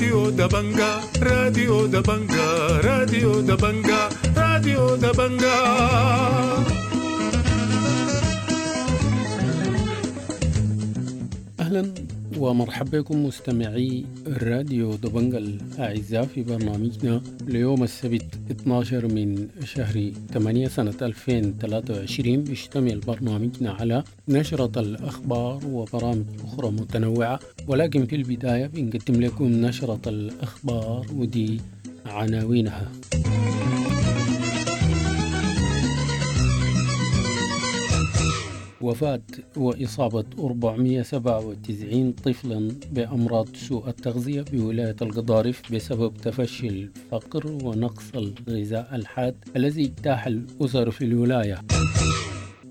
راديو دبنجا، راديو دبنجا، راديو دبنجا، راديو دبنجا. أهلا ومرحبا بكم مستمعي راديو دبنجا الأعزاء في برنامجنا ليوم السبت 12 من شهر 8 سنة 2023. بيشتمل برنامجنا على نشرة الأخبار وبرامج أخرى متنوعة، ولكن في البداية بنقدم لكم نشرة الأخبار ودي عناوينها. وفاة وإصابة 497 طفلا بأمراض سوء التغذية بولاية القضارف بسبب تفشي الفقر ونقص الغذاء الحاد الذي اجتاح الأسر في الولاية.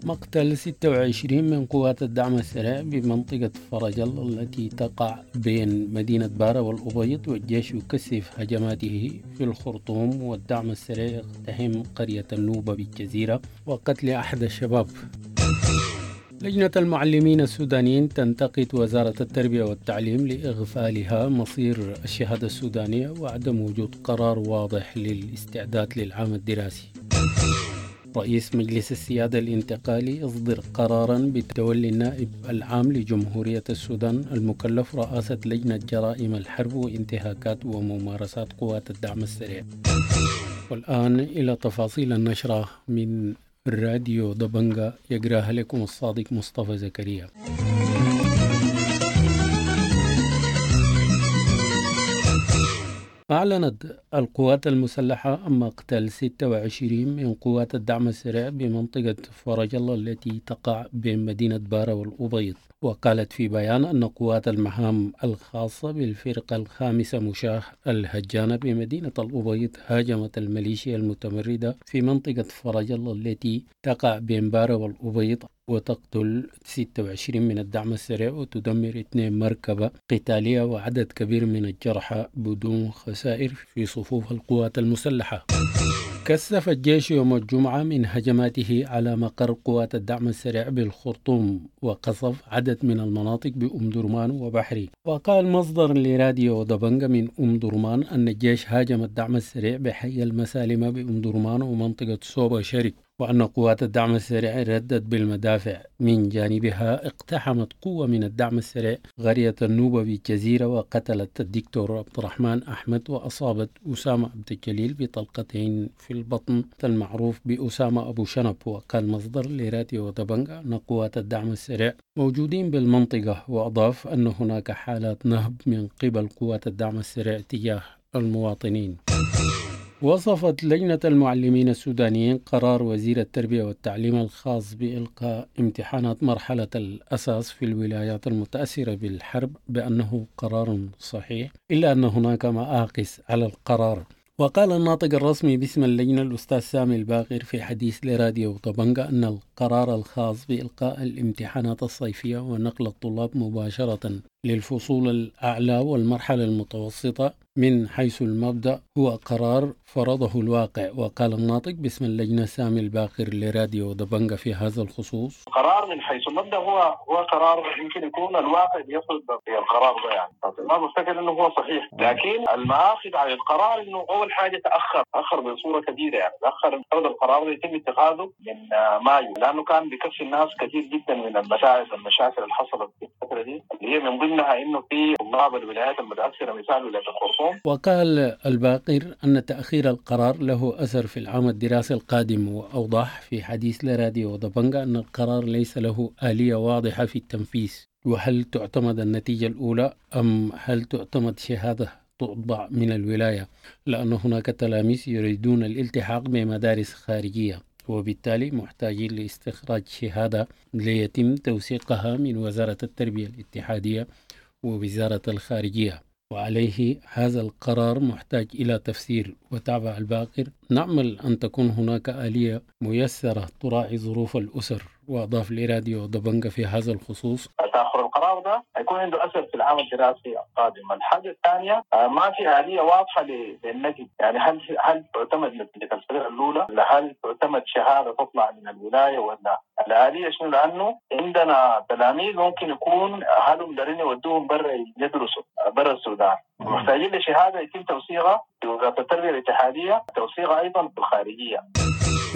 مقتل 26 من قوات الدعم السريع بمنطقة فرج الله التي تقع بين مدينة بارا والأبيض، والجيش يكثف هجماته في الخرطوم، والدعم السريع يقتحم قرية النوبة بالجزيرة وقتل أحد الشباب. لجنة المعلمين السودانيين تنتقد وزارة التربية والتعليم لإغفالها مصير الشهادة السودانية وعدم وجود قرار واضح للاستعداد للعام الدراسي. رئيس مجلس السيادة الانتقالي يصدر قرارا بتولي النائب العام لجمهورية السودان المكلف رئاسة لجنة جرائم الحرب وانتهاكات وممارسات قوات الدعم السريع. والآن إلى تفاصيل النشرة من راديو دبنجا، يقراها لكم الصادق مصطفى زكريا. أعلنت القوات المسلحة عن مقتل 26 من قوات الدعم السريع بمنطقة فرج الله التي تقع بين مدينة بارا والأبيض. وقالت في بيان أن قوات المهام الخاصة بالفرقة الخامسة مشاه الهجانة بمدينة الأبيض هاجمت الميليشيا المتمردة في منطقة فرج الله التي تقع بين بارا والأبيض وتقتل 26 من الدعم السريع وتدمر 2 مركبة قتالية وعدد كبير من الجرحى بدون خسائر في صفوف القوات المسلحة. كثف الجيش يوم الجمعة من هجماته على مقر قوات الدعم السريع بالخرطوم وقصف عدد من المناطق بأم درمان وبحري. وقال مصدر لراديو دبنجا من أم درمان أن الجيش هاجم الدعم السريع بحي المسالمة بأم درمان ومنطقة سوبا شرق، وأن قوات الدعم السريع ردت بالمدافع. من جانبها اقتحمت قوة من الدعم السريع قرية النوبة بالجزيرة وقتلت الدكتور عبد الرحمن أحمد وأصابت أسامة عبد الجليل بطلقتين في البطن المعروف بأسامة أبو شنب. وقال مصدر لراديو دبنجا أن قوات الدعم السريع موجودين بالمنطقة، وأضاف أن هناك حالات نهب من قبل قوات الدعم السريع تجاه المواطنين. وصفت لجنة المعلمين السودانيين قرار وزير التربية والتعليم الخاص بإلقاء امتحانات مرحلة الأساس في الولايات المتأثرة بالحرب بأنه قرار صحيح، إلا أن هناك مآخذ على القرار. وقال الناطق الرسمي باسم اللجنة الأستاذ سامي الباقر في حديث لراديو طبنجة أن القرار الخاص بإلقاء الامتحانات الصيفية ونقل الطلاب مباشرة للفصول الأعلى والمرحلة المتوسطة من حيث المبدأ هو قرار فرضه الواقع. وقال الناطق باسم اللجنة سامي الباقر لراديو دبنجة في هذا الخصوص: قرار من حيث المبدأ هو قرار يمكن يكون الواقع بيفرض القرار ده، يعني ما بفتكر انه هو صحيح، لكن المآخذ على القرار انه اول حاجه تاخر بصوره كبيره، يعني تاخر فرض القرار يتم اتخاذه من مايو، لانه كان بكفي الناس كثير جدا من المشاكل اللي حصلت في الفتره دي، اللي هي من ضمنها انه في طلاب الولايات المتاثره مثال ولايه الخرطوم. وقال الباقر أن تأخير القرار له أثر في العام الدراسي القادم، وأوضح في حديث لراديو دبنجا أن القرار ليس له آلية واضحة في التنفيذ، وهل تعتمد النتيجة الأولى أم هل تعتمد شهادة تطبع من الولاية، لأن هناك تلاميذ يريدون الالتحاق بمدارس خارجية وبالتالي محتاجين لاستخراج شهادة ليتم توثيقها من وزارة التربية الاتحادية ووزارة الخارجية، وعليه هذا القرار محتاج إلى تفسير. وتابع الباقر: نأمل أن تكون هناك آلية ميسرة تراعي ظروف الأسر. وأضاف لراديو دبنجا في هذا الخصوص: تأخر القرار ده هيكون عنده أثر في العام الدراسي القادم. الحاجة الثانية ما في آلية واضحة للنتيجة، يعني هل تعتمد نتيجة الفرقة الأولى، ولا هل تعتمد شهادة تطلع من الولاية، ولا الآلية شنو؟ لأنه عندنا تلاميذ ممكن يكون أهلهم دارين يودوهم برا يدرسوا برا السودان، محتاجين لشهادة يتم توثيقها في وزارة التربية الاتحادية، توثيقها ايضا في الخارجية.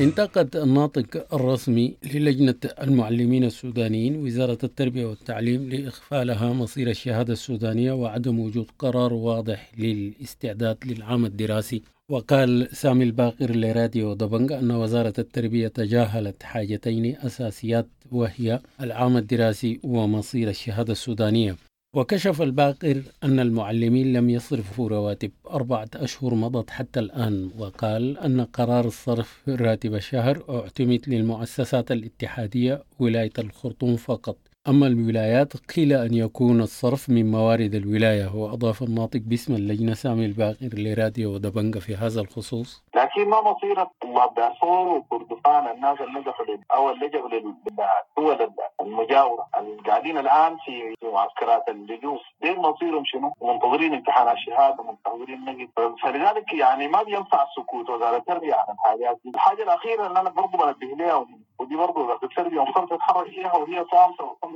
انتقد الناطق الرسمي للجنة المعلمين السودانيين وزارة التربية والتعليم لإغفالها مصير الشهادة السودانية وعدم وجود قرار واضح للاستعداد للعام الدراسي. وقال سامي الباقر لراديو دبنج أن وزارة التربية تجاهلت حاجتين أساسيات، وهي العام الدراسي ومصير الشهادة السودانية. وكشف الباقر أن المعلمين لم يصرفوا رواتب 4 أشهر مضت حتى الآن، وقال أن قرار الصرف راتب الشهر اعتمد للمؤسسات الاتحادية ولاية الخرطوم فقط، أما الولايات قيل أن يكون الصرف من موارد الولاية. وأضاف الناطق باسم اللجنة سامي الباقر لراديو دبنجة في هذا الخصوص: لكن ما مصير طلاب دارفور وكردفان، الناس اللي نجحوا أو اللي لجأوا للدول المجاورة القاعدين الآن في معسكرات اللجوء، دين مصيرهم شنو؟ منتظرين امتحان الشهادة، منتظرين نجد. فلذلك يعني ما بينفع السكوت وزارة التربية عن الحاجات دي. الحاجة الأخيرة اللي أنا برضه بنبه لها، ودي برضه وزارة التربية المفترض تتحرك فيها وهي صامتة وصامتة،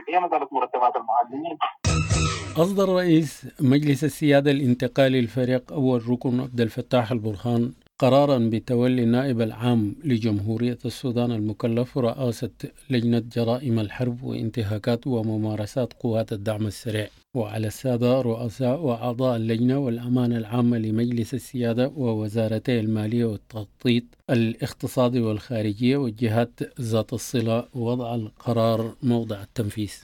هي مسألة مرتبات المعلمين. أصدر رئيس مجلس السيادة الانتقالي الفريق أول ركن عبد الفتاح البرهان قرارا بتولي النائب العام لجمهورية السودان المكلف رئاسة لجنة جرائم الحرب وانتهاكات وممارسات قوات الدعم السريع. وعلى السادة رؤساء وأعضاء اللجنة والأمانة العامة لمجلس السيادة ووزارتي المالية والتخطيط الاقتصادي والخارجية والجهات ذات الصلة وضع القرار موضع التنفيذ.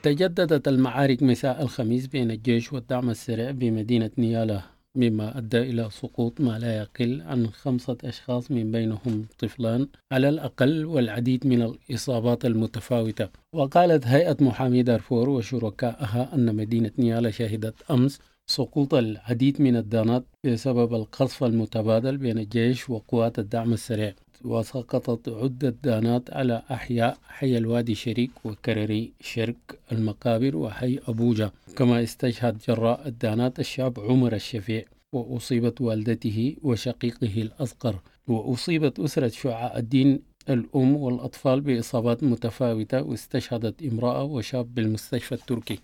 تجددت المعارك مساء الخميس بين الجيش والدعم السريع بمدينة نيالا، مما أدى إلى سقوط ما لا يقل عن 5 أشخاص من بينهم طفلان على الأقل، والعديد من الإصابات المتفاوتة. وقالت هيئة محامي دارفور وشركائها أن مدينة نيالا شهدت أمس سقوط العديد من الدانات بسبب القصف المتبادل بين الجيش وقوات الدعم السريع، وسقطت عدة دانات على أحياء حي الوادي شريك وكرري شرق المقابر وحي أبوجا. كما استشهد جراء الدانات الشاب عمر الشفيع، وأصيبت والدته وشقيقه الأصغر، وأصيبت أسرة شعاع الدين الأم والأطفال بإصابات متفاوتة، واستشهدت امرأة وشاب بالمستشفى التركي.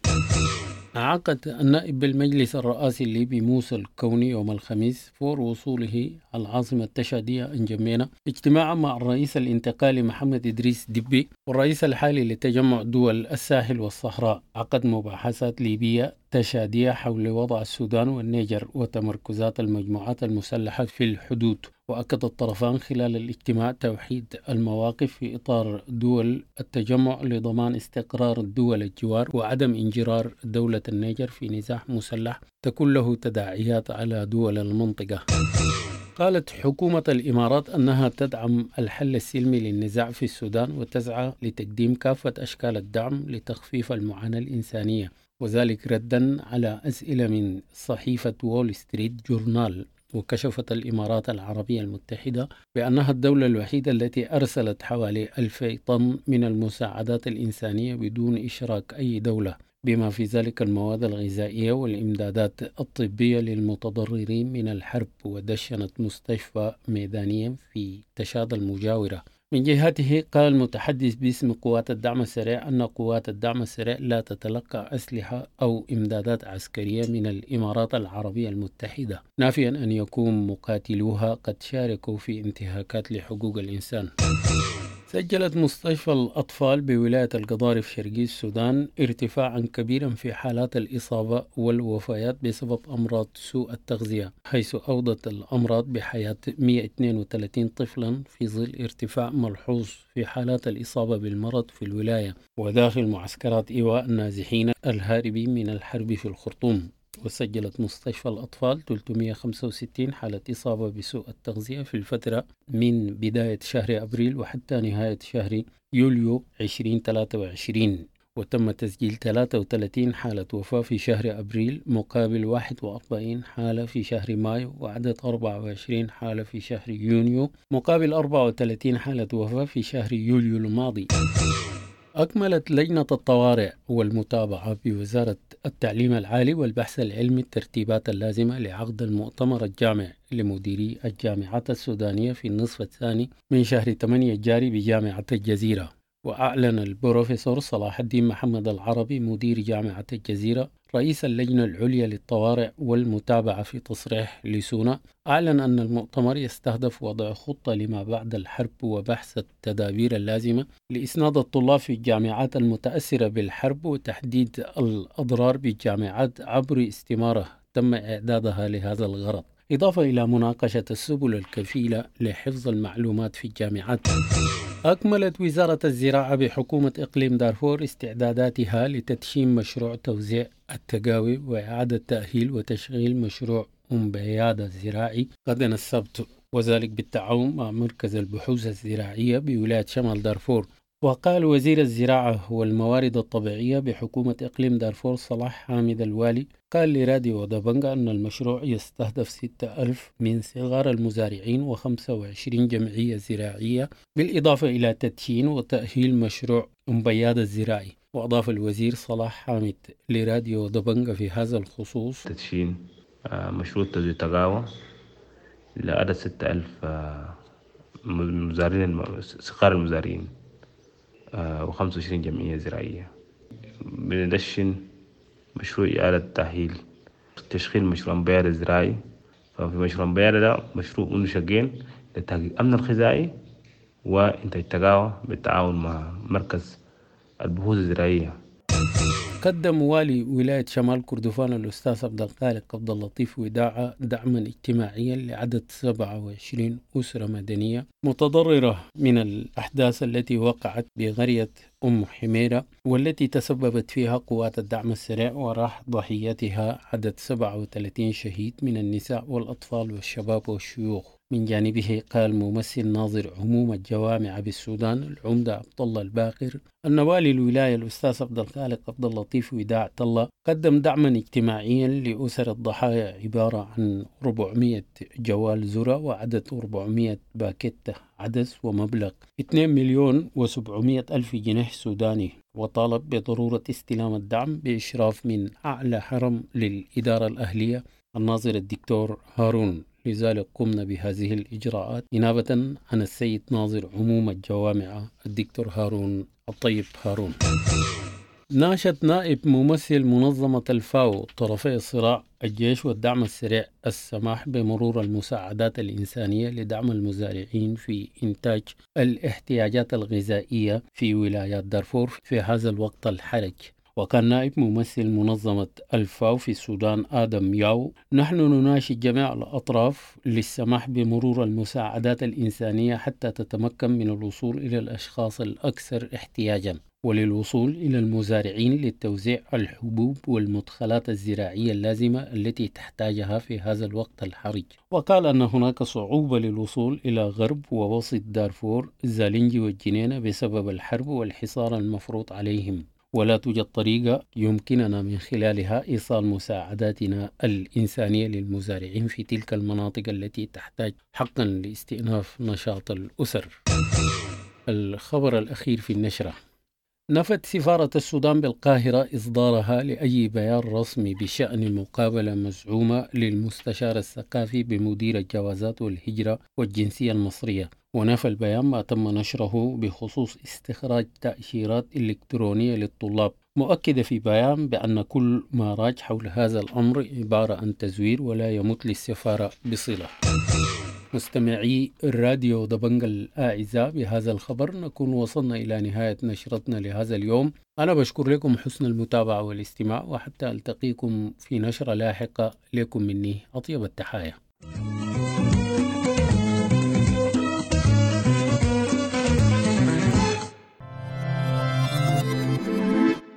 عقد النائب بالمجلس الرئاسي الليبي موسى الكوني يوم الخميس فور وصوله العاصمة التشادية انجمينا اجتماعا مع الرئيس الانتقالي محمد إدريس دبي والرئيس الحالي لتجمع دول الساحل والصحراء. عقد مباحثات ليبية تشادية حول وضع السودان والنيجر وتمركزات المجموعات المسلحة في الحدود. وأكد الطرفان خلال الاجتماع توحيد المواقف في إطار دول التجمع لضمان استقرار الدول الجوار وعدم انجرار دولة النيجر في نزاع مسلح تكون له تداعيات على دول المنطقة. قالت حكومة الإمارات أنها تدعم الحل السلمي للنزاع في السودان وتسعى لتقديم كافة أشكال الدعم لتخفيف المعاناة الإنسانية، وذلك ردا على أسئلة من صحيفة وول ستريت جورنال. وكشفت الإمارات العربية المتحدة بأنها الدولة الوحيدة التي أرسلت حوالي 2000 طن من المساعدات الإنسانية بدون إشراك أي دولة، بما في ذلك المواد الغذائية والإمدادات الطبية للمتضررين من الحرب، ودشنت مستشفى ميدانيا في تشاد المجاورة. من جهته قال المتحدث باسم قوات الدعم السريع أن قوات الدعم السريع لا تتلقى أسلحة أو إمدادات عسكرية من الإمارات العربية المتحدة، نافيا أن يكون مقاتلوها قد شاركوا في انتهاكات لحقوق الإنسان. سجلت مستشفى الأطفال بولاية القضارف شرقي السودان ارتفاعا كبيرا في حالات الإصابة والوفيات بسبب أمراض سوء التغذية، حيث أوضت الأمراض بحياة 132 طفلا في ظل ارتفاع ملحوظ في حالات الإصابة بالمرض في الولاية وداخل معسكرات إيواء النازحين الهاربين من الحرب في الخرطوم. وسجلت مستشفى الأطفال 365 حالة إصابة بسوء التغذية في الفترة من بداية شهر أبريل وحتى نهاية شهر يوليو 2023، وتم تسجيل 33 حالة وفاة في شهر أبريل مقابل 41 حالة في شهر مايو، وعدد 24 حالة في شهر يونيو مقابل 34 حالة وفاة في شهر يوليو الماضي. أكملت لجنة الطوارئ والمتابعة بوزارة التعليم العالي والبحث العلمي الترتيبات اللازمة لعقد المؤتمر الجامع لمديري الجامعات السودانية في النصف الثاني من شهر 8 الجاري بجامعة الجزيرة. وأعلن البروفيسور صلاح الدين محمد العربي مدير جامعة الجزيرة رئيس اللجنة العليا للطوارئ والمتابعة في تصريح لسونا أعلن أن المؤتمر يستهدف وضع خطة لما بعد الحرب وبحث التدابير اللازمة لإسناد الطلاب في الجامعات المتأثرة بالحرب وتحديد الأضرار بالجامعات عبر استمارة تم إعدادها لهذا الغرض، إضافة إلى مناقشة السبل الكفيلة لحفظ المعلومات في الجامعات. أكملت وزارة الزراعة بحكومة إقليم دارفور استعداداتها لتدشين مشروع توزيع التقاوي وإعادة تأهيل وتشغيل مشروع أم بيادة الزراعي غدا السبت، وذلك بالتعاون مع مركز البحوث الزراعية بولاية شمال دارفور. وقال وزير الزراعة والموارد الطبيعية بحكومة إقليم دارفور صلاح حامد الوالي، قال لراديو دبنجا أن المشروع يستهدف 6000 من صغار المزارعين و25 جمعية زراعية، بالإضافة إلى تدشين وتأهيل مشروع أم بيادة الزراعي. وأضاف الوزير صلاح حامد لراديو دبنجا في هذا الخصوص: تدشين مشروع توزيع تقاوى لعدد 6000 مزارعين صغار المزارعين و25 جمعية زراعية. بندشن مشروع إعادة تأهيل تشغيل مشروع أمبيار الزراعي. ففي مشروع أمبيار ده مشروع منه شقين لتحقيق الأمن الغذائي وإنتاج تقاوى بالتعاون مع مركز البحوث الزراعية. قدم والي ولاية شمال كردفان الأستاذ عبد الخالق عبد اللطيف وداعة دعما اجتماعيا لعدد 27 أسرة مدنية متضررة من الأحداث التي وقعت بقرية أم حميرة، والتي تسببت فيها قوات الدعم السريع وراح ضحيتها عدد 37 شهيد من النساء والأطفال والشباب والشيوخ. من جانبه قال ممثل ناظر عموم الجوامع بالسودان العمدة عبد الله الباقر أن والي الولاية الأستاذ عبد الخالق عبد اللطيف وداع الله قدم دعما اجتماعيا لأسر الضحايا عبارة عن 400 جوال ذرة وعدد 400 باكيتة عدس ومبلغ 2,700,000 جنيه سوداني، وطالب بضرورة استلام الدعم بإشراف من أعلى حرم للإدارة الأهلية الناظر الدكتور هارون. لذلك قمنا بهذه الإجراءات إنابة عن السيد ناظر عموم الجوامع الدكتور هارون الطيب هارون. ناشد نائب ممثل منظمة الفاو طرفي الصراع الجيش والدعم السريع السماح بمرور المساعدات الإنسانية لدعم المزارعين في إنتاج الاحتياجات الغذائية في ولايات دارفور في هذا الوقت الحرج. وكان نائب ممثل منظمة الفاو في السودان آدم ياو: نحن نناشد جميع الأطراف للسماح بمرور المساعدات الإنسانية حتى تتمكن من الوصول إلى الأشخاص الأكثر احتياجا، وللوصول إلى المزارعين للتوزيع الحبوب والمدخلات الزراعية اللازمة التي تحتاجها في هذا الوقت الحرج. وقال أن هناك صعوبة للوصول إلى غرب ووسط دارفور زالنجي والجنينة بسبب الحرب والحصار المفروض عليهم، ولا توجد طريقة يمكننا من خلالها إيصال مساعداتنا الإنسانية للمزارعين في تلك المناطق التي تحتاج حقا لاستئناف نشاط الأسر. الخبر الأخير في النشرة: نفت سفارة السودان بالقاهرة إصدارها لأي بيان رسمي بشأن مقابلة مزعومة للمستشار الثقافي بمدير الجوازات والهجرة والجنسية المصرية. ونفى البيان ما تم نشره بخصوص استخراج تأشيرات إلكترونية للطلاب، مؤكدة في بيان بأن كل ما راج حول هذا الأمر عبارة عن تزوير ولا يمت للسفارة بصلة. مستمعي الراديو دبنج الأعزاء، بهذا الخبر نكون وصلنا إلى نهاية نشرتنا لهذا اليوم. أنا بشكر لكم حسن المتابعة والاستماع، وحتى ألتقيكم في نشرة لاحقة، لكم مني أطيب التحايا.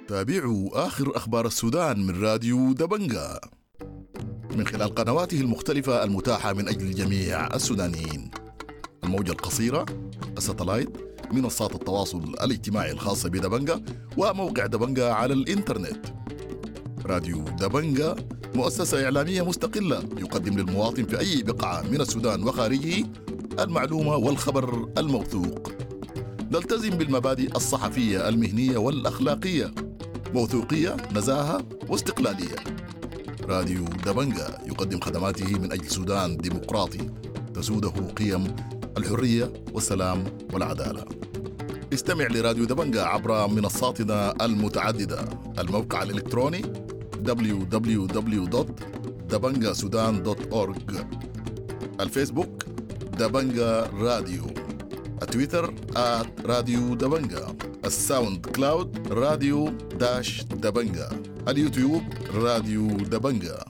تابعوا آخر أخبار السودان من راديو دبنجا من خلال قنواته المختلفة المتاحة من أجل جميع السودانيين: الموجة القصيرة، الستلايت، منصات التواصل الاجتماعي الخاصة بدبنجا، وموقع دبنجا على الإنترنت. راديو دبنجا مؤسسة إعلامية مستقلة يقدم للمواطن في أي بقعة من السودان وخارجه المعلومة والخبر الموثوق. نلتزم بالمبادئ الصحفية المهنية والأخلاقية، موثوقية، نزاهة واستقلالية. راديو دبنجا يقدم خدماته من أجل سودان ديمقراطي تسوده قيم الحرية والسلام والعدالة. استمع لراديو دبنجا عبر منصاتنا المتعددة: الموقع الإلكتروني، www.dabangasudan.org. الفيسبوك دبنجا راديو، التويتر @راديو دبنجا، الساوند كلاود راديو dash دبنجا، اليوتيوب راديو دبنجا.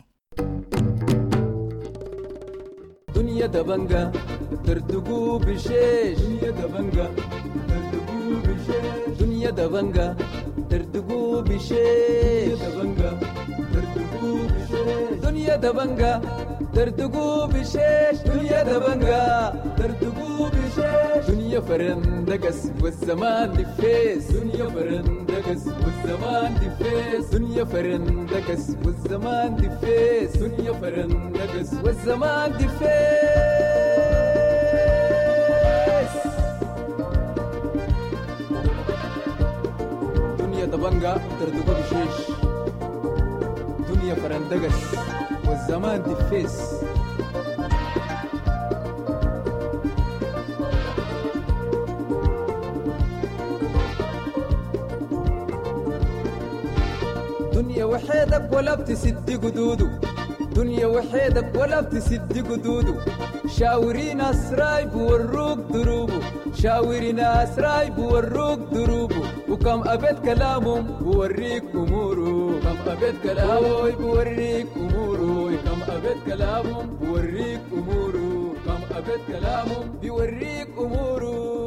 دنيا دبنجا تردقوا بشيش، دنيا دبنجا تردقوا بشيش، دنيا دبنجا تردقوا بشيش، دبنجا تردقوا بشيش، دنيا دبنجا تردقوا بشيش، دنيا دبنجا تردقوا بشيش، دنيا فرندقس والزمان دفيس، دنيا فرندقس والزمان دفيس، دنيا فرندقس والزمان دفيس، دنيا فرندقس والزمان دفيس. دنيا دبنجا تردقوا بشيش، دنيا فرندقس والزمان دفيس. دنيا وحيدك ولا بتسد قدوده، دنيا وحيدك ولا بتسد قدوده، شاوري ناس رايب وروك دروبه، شاوري ناس رايب وروك دروبه، وكم أبيت كلامهم بوريك أموره، كم أبيت كلامه بوريك أموره، كم أبيت كلامهم بوريك أموره، كم أبيت كلامهم بوريك أموره.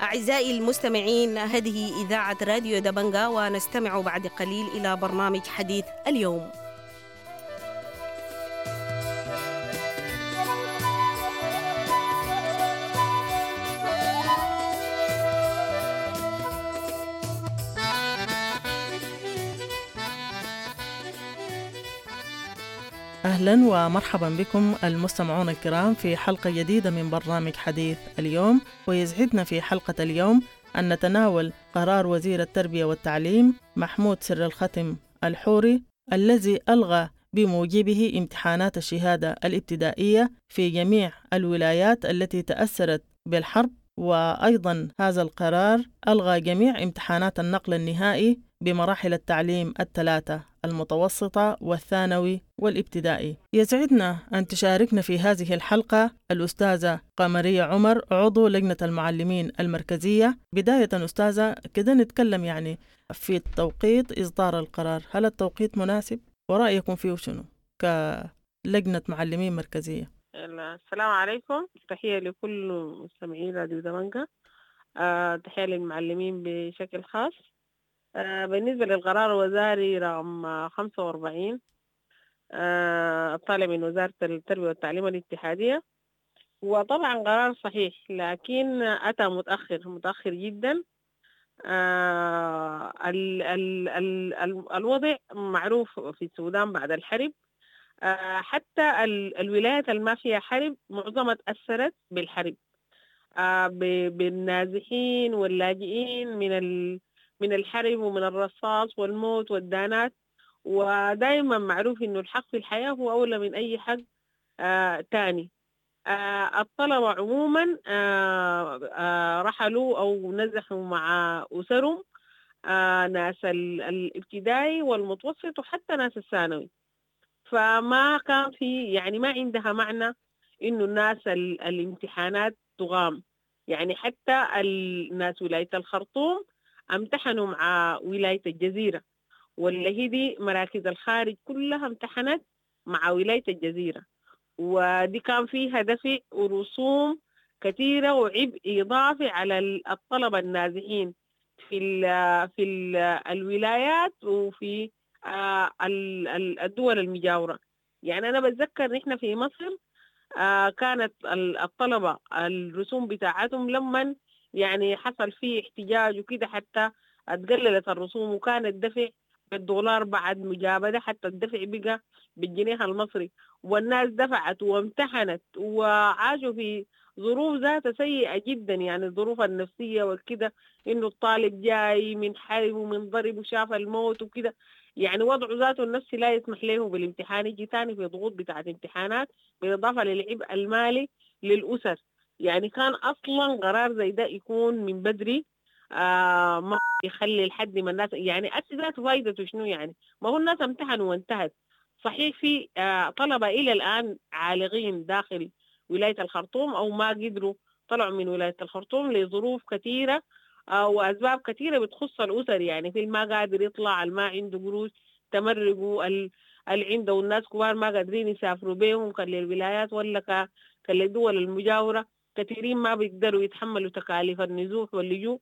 أعزائي المستمعين، هذه إذاعة راديو دبنجا، ونستمع بعد قليل إلى برنامج حديث اليوم. أهلا ومرحبا بكم المستمعون الكرام في حلقة جديدة من برنامج حديث اليوم. ويسعدنا في حلقة اليوم أن نتناول قرار وزير التربية والتعليم محمود سر الختم الحوري الذي ألغى بموجبه امتحانات الشهادة الابتدائية في جميع الولايات التي تأثرت بالحرب، وأيضا هذا القرار ألغى جميع امتحانات النقل النهائي بمراحل التعليم الثلاثة، المتوسطة والثانوي والابتدائي. يسعدنا أن تشاركنا في هذه الحلقة الأستاذة قمرية عمر، عضو لجنة المعلمين المركزية. بداية أستاذة، كده نتكلم يعني في التوقيت إصدار القرار، هل التوقيت مناسب ورأيكم فيه شنو كلجنة معلمين مركزية؟ السلام عليكم، تحية لكل مستمعين راديو دبنجا، تحية للمعلمين بشكل خاص. بالنسبة للقرار الوزاري رقم 45 الطالب من وزارة التربية والتعليم الاتحادية، وطبعا قرار صحيح لكن أتى متأخر جدا. ال ال ال الوضع معروف في السودان بعد الحرب، حتى الولايات اللي ما فيها حرب معظمها تأثرت بالحرب، بالنازحين واللاجئين من الحرب ومن الرصاص والموت والدانات. ودائما معروف إنه الحق في الحياة هو أولى من أي حق تاني. الطلبة عموما رحلوا أو نزحوا مع أسرهم، ناس الابتدائي والمتوسط وحتى ناس الثانوي، فما كان في يعني ما عندها معنى إنه الناس الامتحانات تغام. يعني حتى الناس ولاية الخرطوم امتحنوا مع ولاية الجزيرة، واللي هي دي مراكز الخارج كلها امتحنت مع ولاية الجزيرة، ودي كان فيها دفع ورسوم كثيرة وعبء إضافي على الطلبة النازحين في ال في ال الولايات وفي الدول المجاورة. يعني أنا بتذكر نحن في مصر كانت الطلبة الرسوم بتاعتهم لما يعني حصل فيه احتجاج وكده حتى اتقللت الرسوم، وكان الدفع بالدولار بعد مجابدة، حتى الدفع بقى بالجنيه المصري، والناس دفعت وامتحنت وعاشوا في ظروف ذاتها سيئة جدا، يعني الظروف النفسية والكده، إنه الطالب جاي من حرب ومن ضرب وشاف الموت وكده، يعني وضعه ذاته النفسي لا يسمح له بالامتحان، يجي تاني في ضغوط بتاعت امتحانات، بالإضافة للعبء المالي للأسر. يعني كان أصلا قرار زي ده يكون من بدري، ما يخلي لحد ما الناس يعني أسي ذاته فايدته شنو يعني؟ ما هو الناس امتحنوا وانتهت. صحيح في طلبة إلى الآن عالقين داخل ولاية الخرطوم أو ما قدروا طلعوا من ولاية الخرطوم لظروف كثيرة وأسباب كثيرة بتخص الأسر، يعني في ما قادر يطلع، ما عنده قروش تمرقوا، اللي عنده الناس كبار ما قادرين يسافروا بيهم كان للولايات ولا كان للدول المجاورة، كثيرين ما بيقدروا يتحملوا تكاليف النزوح واللجوء،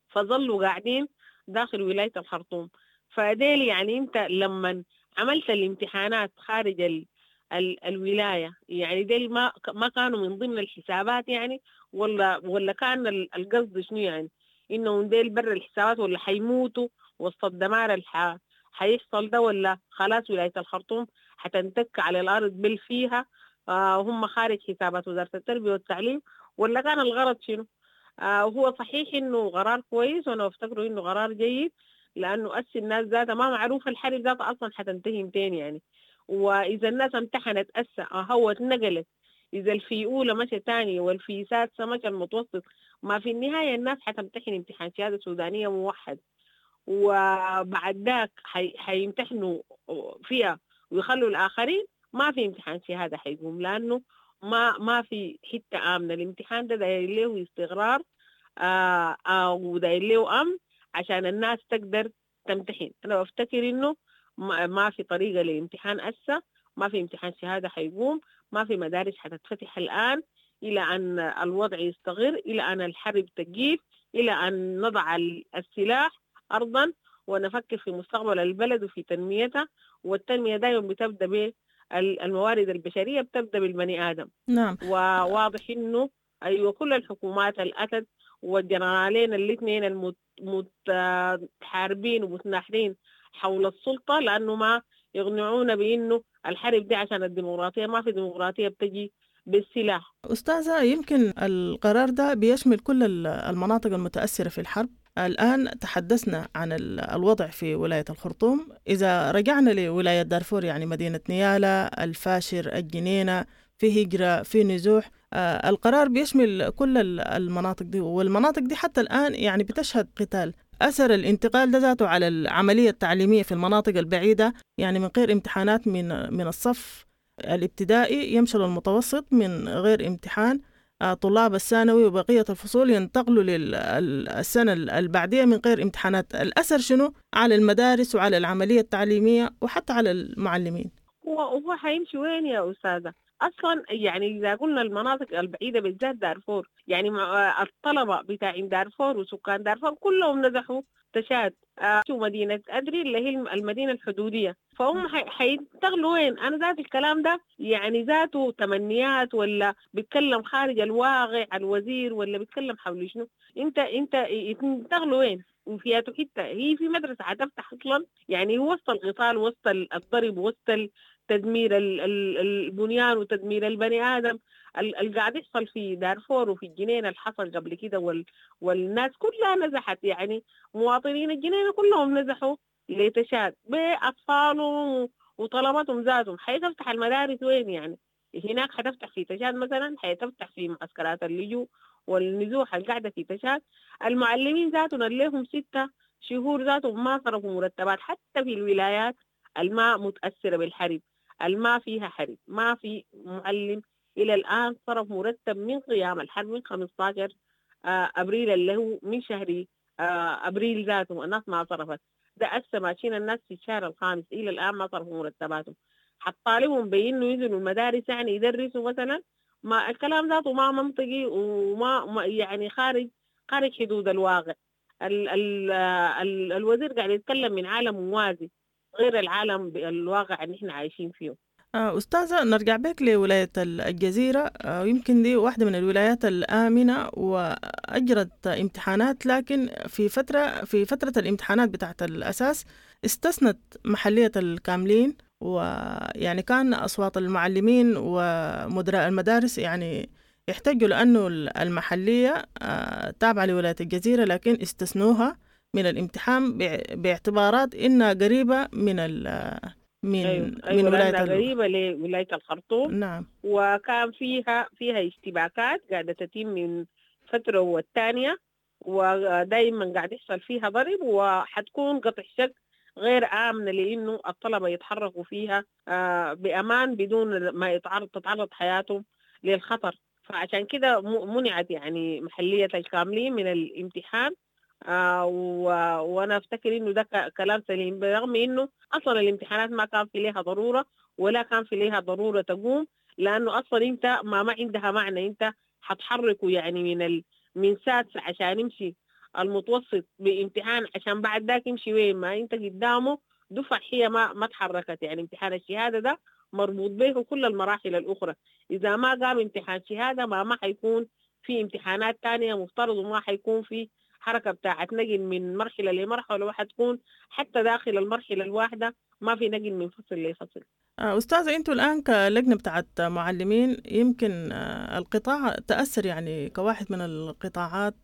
فظلوا قاعدين داخل ولاية الخرطوم. فديل يعني أنت لما عملت الامتحانات خارج الولاية، يعني ديل ما كانوا من ضمن الحسابات يعني، ولا كان القصد شنو يعني؟ إنه ديل برا الحسابات ولا حيموتوا وسط الدمار حيحصل ده، ولا خلاص ولاية الخرطوم حتنتك على الأرض بل فيها وهم خارج حسابات وزارة التربية والتعليم، ولا كان الغرض شنو؟ وهو صحيح إنه قرار كويس، وأنا أفتكره إنه قرار جيد، لأنه أسي الناس ذاتها ما معروف الحرب ذاتها أصلا حتنتهي متين يعني، وإذا الناس امتحنت أسا هو اتنقلت، إذا الفي أولى مشى تاني والفي سادسة مشى المتوسط، ما في النهاية الناس حتمتحن امتحان شهادة سودانية موحد، وبعد ذاك حيمتحنوا فيها ويخلوا الآخرين ما في امتحان شهادة حيقوم، لأنه ما في حتة آمنة. الامتحان ده داير له استقرار وداير له أمن عشان الناس تقدر تمتحن. أنا بفتكر إنه ما في طريقة لامتحان أسا، ما في امتحان شهادة حيقوم، ما في مدارس حتتفتح الآن إلى أن الوضع يستقر، إلى أن الحرب تقيف، إلى أن نضع السلاح أرضا ونفكر في مستقبل البلد وفي تنميتها. والتنمية دائما بتبدأ بالموارد البشرية، بتبدأ بالبني آدم. نعم. وواضح إنه أيوة كل الحكومات الأتت والجنرالين الاثنين المتحاربين ومتناحرين حول السلطة، لأنه ما يقنعون بأنه الحرب دي عشان الديمقراطية، ما في ديمقراطية بتجي بالسلاح. أستاذة، يمكن القرار ده بيشمل كل المناطق المتأثرة في الحرب. الآن تحدثنا عن الوضع في ولاية الخرطوم، إذا رجعنا لولاية دارفور يعني مدينة نيالا، الفاشر، الجنينة، في هجرة، في نزوح، القرار بيشمل كل المناطق دي، والمناطق دي حتى الآن يعني بتشهد قتال. أثر الانتقال ده ذاته على العملية التعليمية في المناطق البعيدة، يعني من غير امتحانات من الصف الابتدائي يمشي للمتوسط من غير امتحان، طلاب الثانوي وبقية الفصول ينتقلوا للسنة البعدية من غير امتحانات. الأثر شنو على المدارس وعلى العملية التعليمية وحتى على المعلمين؟ هو حيمشي وين يا أستاذة؟ أصلا يعني إذا قلنا المناطق البعيدة بالذات دارفور، يعني الطلبة بتاعين دارفور وسكان دارفور كلهم نزحوا تشاد مدينة أدري اللي هي المدينة الحدودية، فهم حينتقلوا وين؟ أنا ذات الكلام ده يعني ذاته تمنيات، ولا بيتكلم خارج الواقع الوزير، ولا بيتكلم حول شنو؟ أنت ينتقلوا وين؟ وفيها حتة هي في مدرسة حتفتح أصلا؟ يعني وسط القتال، وسط الضرب، وسط تدمير البنيان وتدمير البني آدم اللي قاعد يحصل في دارفور وفي الجنينة اللي حصل قبل كده، والناس كلها نزحت، يعني مواطنين الجنينة كلهم نزحوا لتشاد بأطفالهم وطلباتهم ذاتهم. حيتفتح المدارس وين يعني؟ هناك حتفتح في تشاد مثلا، حيتفتح في معسكرات اللجوء والنزوح القاعدة في تشاد. المعلمين ذاتهم اللي لهم 6 شهور ذاتهم ما صرفوا مرتبات، حتى في الولايات الما متأثرة بالحرب، الما فيها حرب، ما في معلم إلى الآن صرف مرتب من قيام الحرب من 15 أبريل اللي هو من شهر أبريل ذاته الناس ما صرفت. ده أسا ماشيين الناس في الشهر الخامس إلى الآن ما صرفوا مرتباتهم. حطالبهم بإنه ينزلوا المدارس يعني يدرسوا مثلا، ما الكلام ذاته ما منطقي وما يعني خارج حدود الواقع. ال ال ال الوزير قاعد يتكلم من عالم موازي غير العالم الواقع اللي احنا عايشين فيه. أستاذة، نرجع بك لولاية الجزيرة. يمكن دي واحدة من الولايات الآمنة وأجرت امتحانات، لكن في فترة الامتحانات بتاعت الأساس استثنت محلية الكاملين، ويعني كان أصوات المعلمين ومدراء المدارس يعني يحتجوا لأنه المحلية تابعة لولاية الجزيرة، لكن استثنوها من الامتحان باعتبارات إنها قريبة من من أيوة ولاية قريبة لولاية الخرطوم. نعم. وكان فيها اشتباكات قاعدة تتم من فترة والتانية، ودائما قاعد يحصل فيها ضرب، وحتكون قطع شك غير آمنة لأنه الطلبة يتحركوا فيها بأمان بدون ما تتعرض حياتهم للخطر. فعشان كده منعت يعني محلية الكاملين من الامتحان. وأنا أفتكر إنه ده كلام سليم، برغم إنه أصلا الامتحانات ما كان في لها ضرورة ولا كان في لها ضرورة تقوم، لأنه أصلا أنت ما عندها معنى، أنت حتحركه يعني من سادس عشان يمشي المتوسط بامتحان عشان بعد ذاك يمشي وين؟ ما أنت قدامه دفع هي ما تحركت. يعني امتحان الشهادة ده مربوط به كل المراحل الأخرى، إذا ما قام امتحان شهادة ما حيكون في امتحانات تانية مفترض، وما حيكون في حركة بتاعت نقل من مرحلة لمرحلة، وحتكون حتى داخل المرحلة الواحدة ما في نقل من فصل لفصل. أستاذة، أنتوا الآن كلجنة بتاعت معلمين يمكن القطاع تأثر يعني كواحد من القطاعات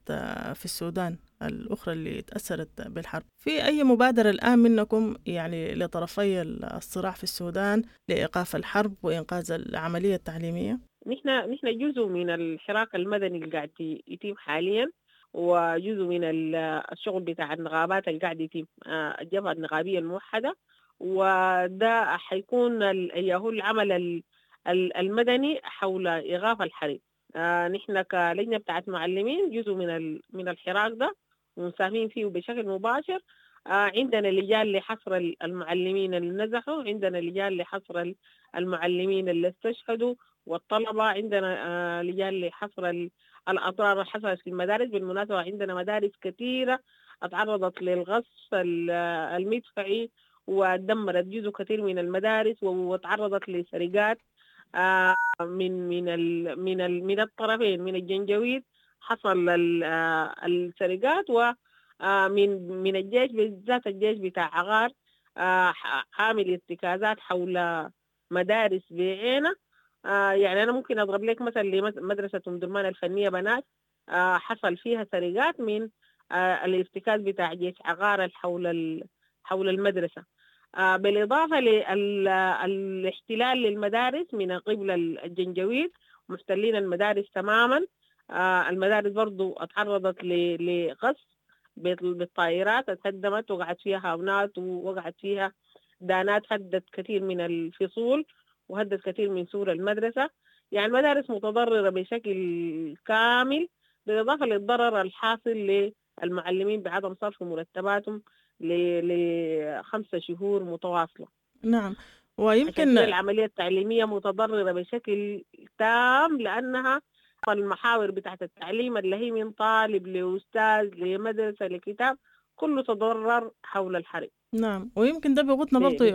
في السودان الأخرى اللي تأثرت بالحرب، في أي مبادرة الآن منكم يعني لطرفي الصراع في السودان لإيقاف الحرب وإنقاذ العملية التعليمية؟ نحن جزء من الحراك المدني اللي قاعد يتم حاليا، وجزء من الشغل بتاع النقابات اللي قاعد يتم، الجبهة النقابية الموحدة، وده حيكون هو العمل المدني حول إيقاف الحرب. نحن كلجنة بتاعت معلمين جزء من الحراك ده ومساهمين فيه بشكل مباشر. عندنا لجان لحصر المعلمين اللي نزحوا، عندنا لجان لحصر المعلمين اللي استشهدوا والطلبة، عندنا لجان لحصر الأضرار اللي حصلت في المدارس. بالمناسبة عندنا مدارس كثيرة اتعرضت للغصف المدفعي ودمرت جزء كثير من المدارس، وتعرضت لسرقات من من من من الطرفين، من الجنجويد حصل السرقات، ومن من الجيش بالذات الجيش بتاع عغار عامل ارتكازات حول مدارس بعينة. يعني أنا ممكن أضرب لك مثلا لمدرسة أم درمان الفنية بنات، حصل فيها سرقات من الارتكاز بتاع جيش عغار حول المدرسة. بالإضافة للاحتلال للمدارس من قبل الجنجويد، محتلين المدارس تماما. المدارس برضو اتعرضت لقصف بالطائرات، اتهدمت وقعت فيها هاونات ووقعت فيها دانات، هدت كثير من الفصول وهدت كثير من سور المدرسة. يعني المدارس متضررة بشكل كامل، بالإضافة للضرر الحاصل للمعلمين بعدم صرف مرتباتهم ل5 شهور متواصلة. نعم. ويمكن العملية التعليمية متضررة بشكل تام، لأنها المحاور بتاعت التعليم اللي هي من طالب لأستاذ لمدرسة لكتاب كله تضرر حول الحرب. نعم. ويمكن ده بيغطنا برضه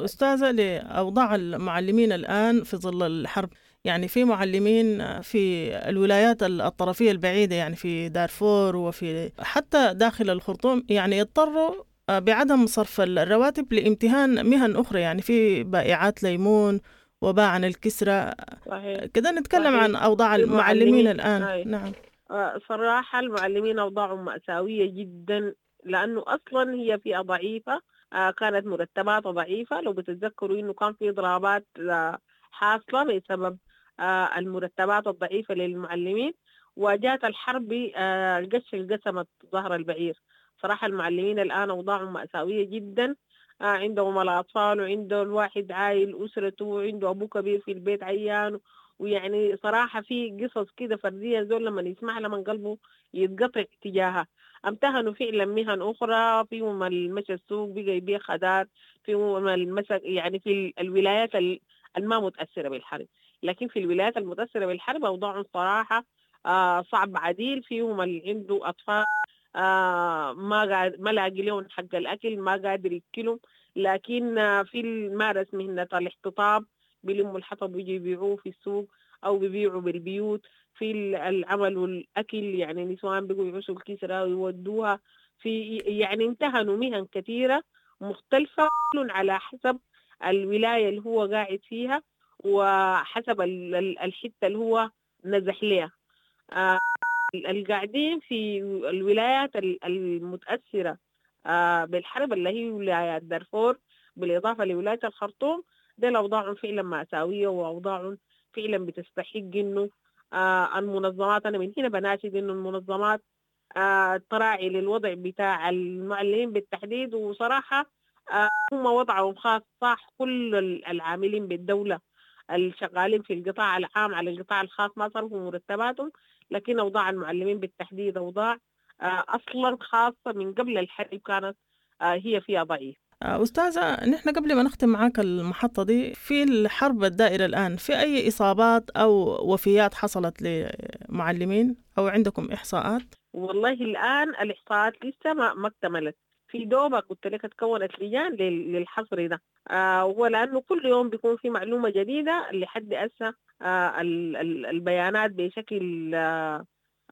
أستاذة لأوضاع المعلمين الآن في ظل الحرب. يعني في معلمين في الولايات الطرفية البعيدة، يعني في دارفور وفي حتى داخل الخرطوم، يعني اضطروا بعدم صرف الرواتب لامتهان مهن أخرى، يعني في بائعات ليمون وباعن الكسرة. كده نتكلم صحيح. عن أوضاع المعلمين الآن. أي. نعم. صراحة المعلمين أوضاعهم مأساوية جدا، لأنه أصلا هي فئة ضعيفة، كانت مرتباتها ضعيفة. لو بتتذكروا إنه كان في إضرابات حاصلة بسبب المرتبات الضعيفة للمعلمين، وجاءت الحرب القش القسمت ظهر البعير. صراحة المعلمين الآن أوضاعهم مأساوية جدا، عندهم الأطفال وعنده الواحد عايل أسرته وعنده أبوه كبير في البيت عيان، ويعني صراحة في قصص كده فردية زول لما يسمع لما قلبه يتقطع تجاهها. امتهنوا فعلا مهن أخرى، فيهم المشى السوق بقى يبيع خضار، فيهم المشى يعني في الولايات الما متأثرة بالحرب، لكن في الولايات المتأثرة بالحرب أوضاعهم صراحة صعب عديل. فيهم اللي عنده أطفال ما لاقي لهم حق الأكل، ما قادر يأكلهم، لكن في مارس مهنة الاحتطاب بيلموا الحطب ويجي يبيعوه في السوق أو بيبيعوا بالبيوت. في العمل والأكل، يعني نسوان بيقوا يعوشوا الكسرة ويودوها في، يعني امتهنوا مهن كثيرة مختلفة على حسب الولاية اللي هو قاعد فيها وحسب الحتة اللي هو نزح لها. القاعدين في الولايات المتأثرة بالحرب اللي هي ولايات دارفور بالإضافة لولاية الخرطوم، دي أوضاعهم فعلا مأساوية وأوضاعهم فعلا بتستحق إنه المنظمات، أنا من هنا بناشد إنه المنظمات تراعي للوضع بتاع المعلمين بالتحديد. وصراحة هم وضعهم خاص صح، كل العاملين بالدولة الشغالين في القطاع العام على القطاع الخاص ما صرفوا مرتباتهم، لكن أوضاع المعلمين بالتحديد أوضاع أصلا خاصة من قبل الحرب كانت هي فيها ضعيف. أستاذة، نحن قبل ما نختم معاك المحطة دي، في الحرب الدائرة الآن في أي إصابات أو وفيات حصلت لمعلمين أو عندكم إحصاءات؟ والله الآن الإحصاءات لسه ما اكتملت، في دوبك قلت لك تكونت لجان للحصر ده، ولأنه كل يوم بيكون في معلومة جديدة. لحد هسه البيانات بشكل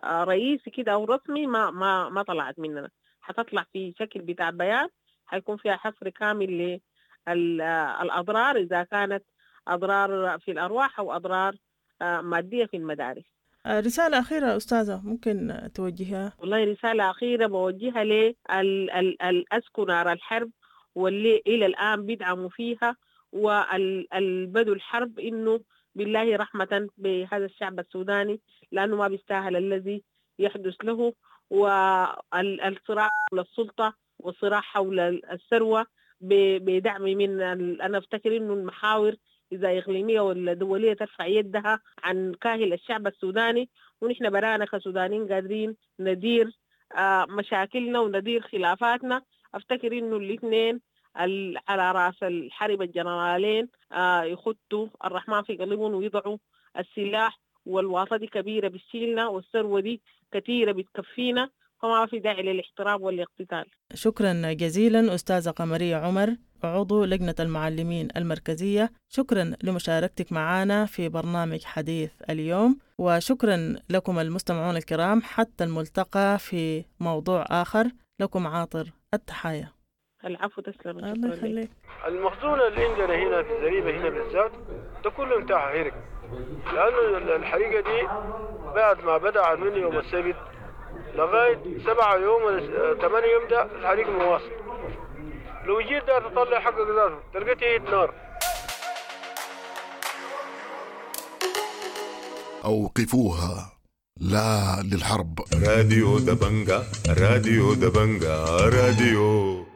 رئيسي كده أو رسمي ما طلعت مننا، حتطلع في شكل بتاع بيان حيكون فيها حصر كامل للأضرار إذا كانت أضرار في الأرواح أو أضرار مادية في المدارس. رسالة أخيرة أستاذة ممكن توجهها؟ والله رسالة أخيرة بوجهها للأسكو نار الحرب واللي إلى الآن بيدعموا فيها والبدو الحرب، إنه بالله رحمة بهذا الشعب السوداني، لأنه ما بيستاهل الذي يحدث له. والصراع حول السلطة والصراع حول الثروة بدعم من أنا أفتكر إنه المحاور إذا إقليمية ولا دولية ترفع يدها عن كاهل الشعب السوداني، ونحن برانا كسودانيين قادرين ندير مشاكلنا وندير خلافاتنا. أفتكر إنه الاثنين على رأس الحرب الجنرالين يخطوا الرحمن في قلبهم ويضعوا السلاح، والواطة دي كبيرة بتشيلنا والثروة دي كثيرة بتكفينا، فما في داعي للاحتراب والاقتتال. شكرا جزيلا أستاذة قمرية عمر، عضو لجنة المعلمين المركزية، شكرا لمشاركتك معنا في برنامج حديث اليوم، وشكرا لكم المستمعون الكرام. حتى الملتقى في موضوع آخر، لكم عاطر التحايا. العفو، تسلم. الله يخليك. المخزون اللي عندنا هنا في الزريبة هنا بالذات ده كله انتهى حرق، لأنه الحريقة دي بعد ما بدأت من يوم السبت لغاية 7 يوم ولا 8 يوم ده الحريق مواصل. لو جيت ده تطلع حقك ذاته تلقيت نار. أوقفوها، لا للحرب. راديو دبنجا، راديو دبنجا، راديو.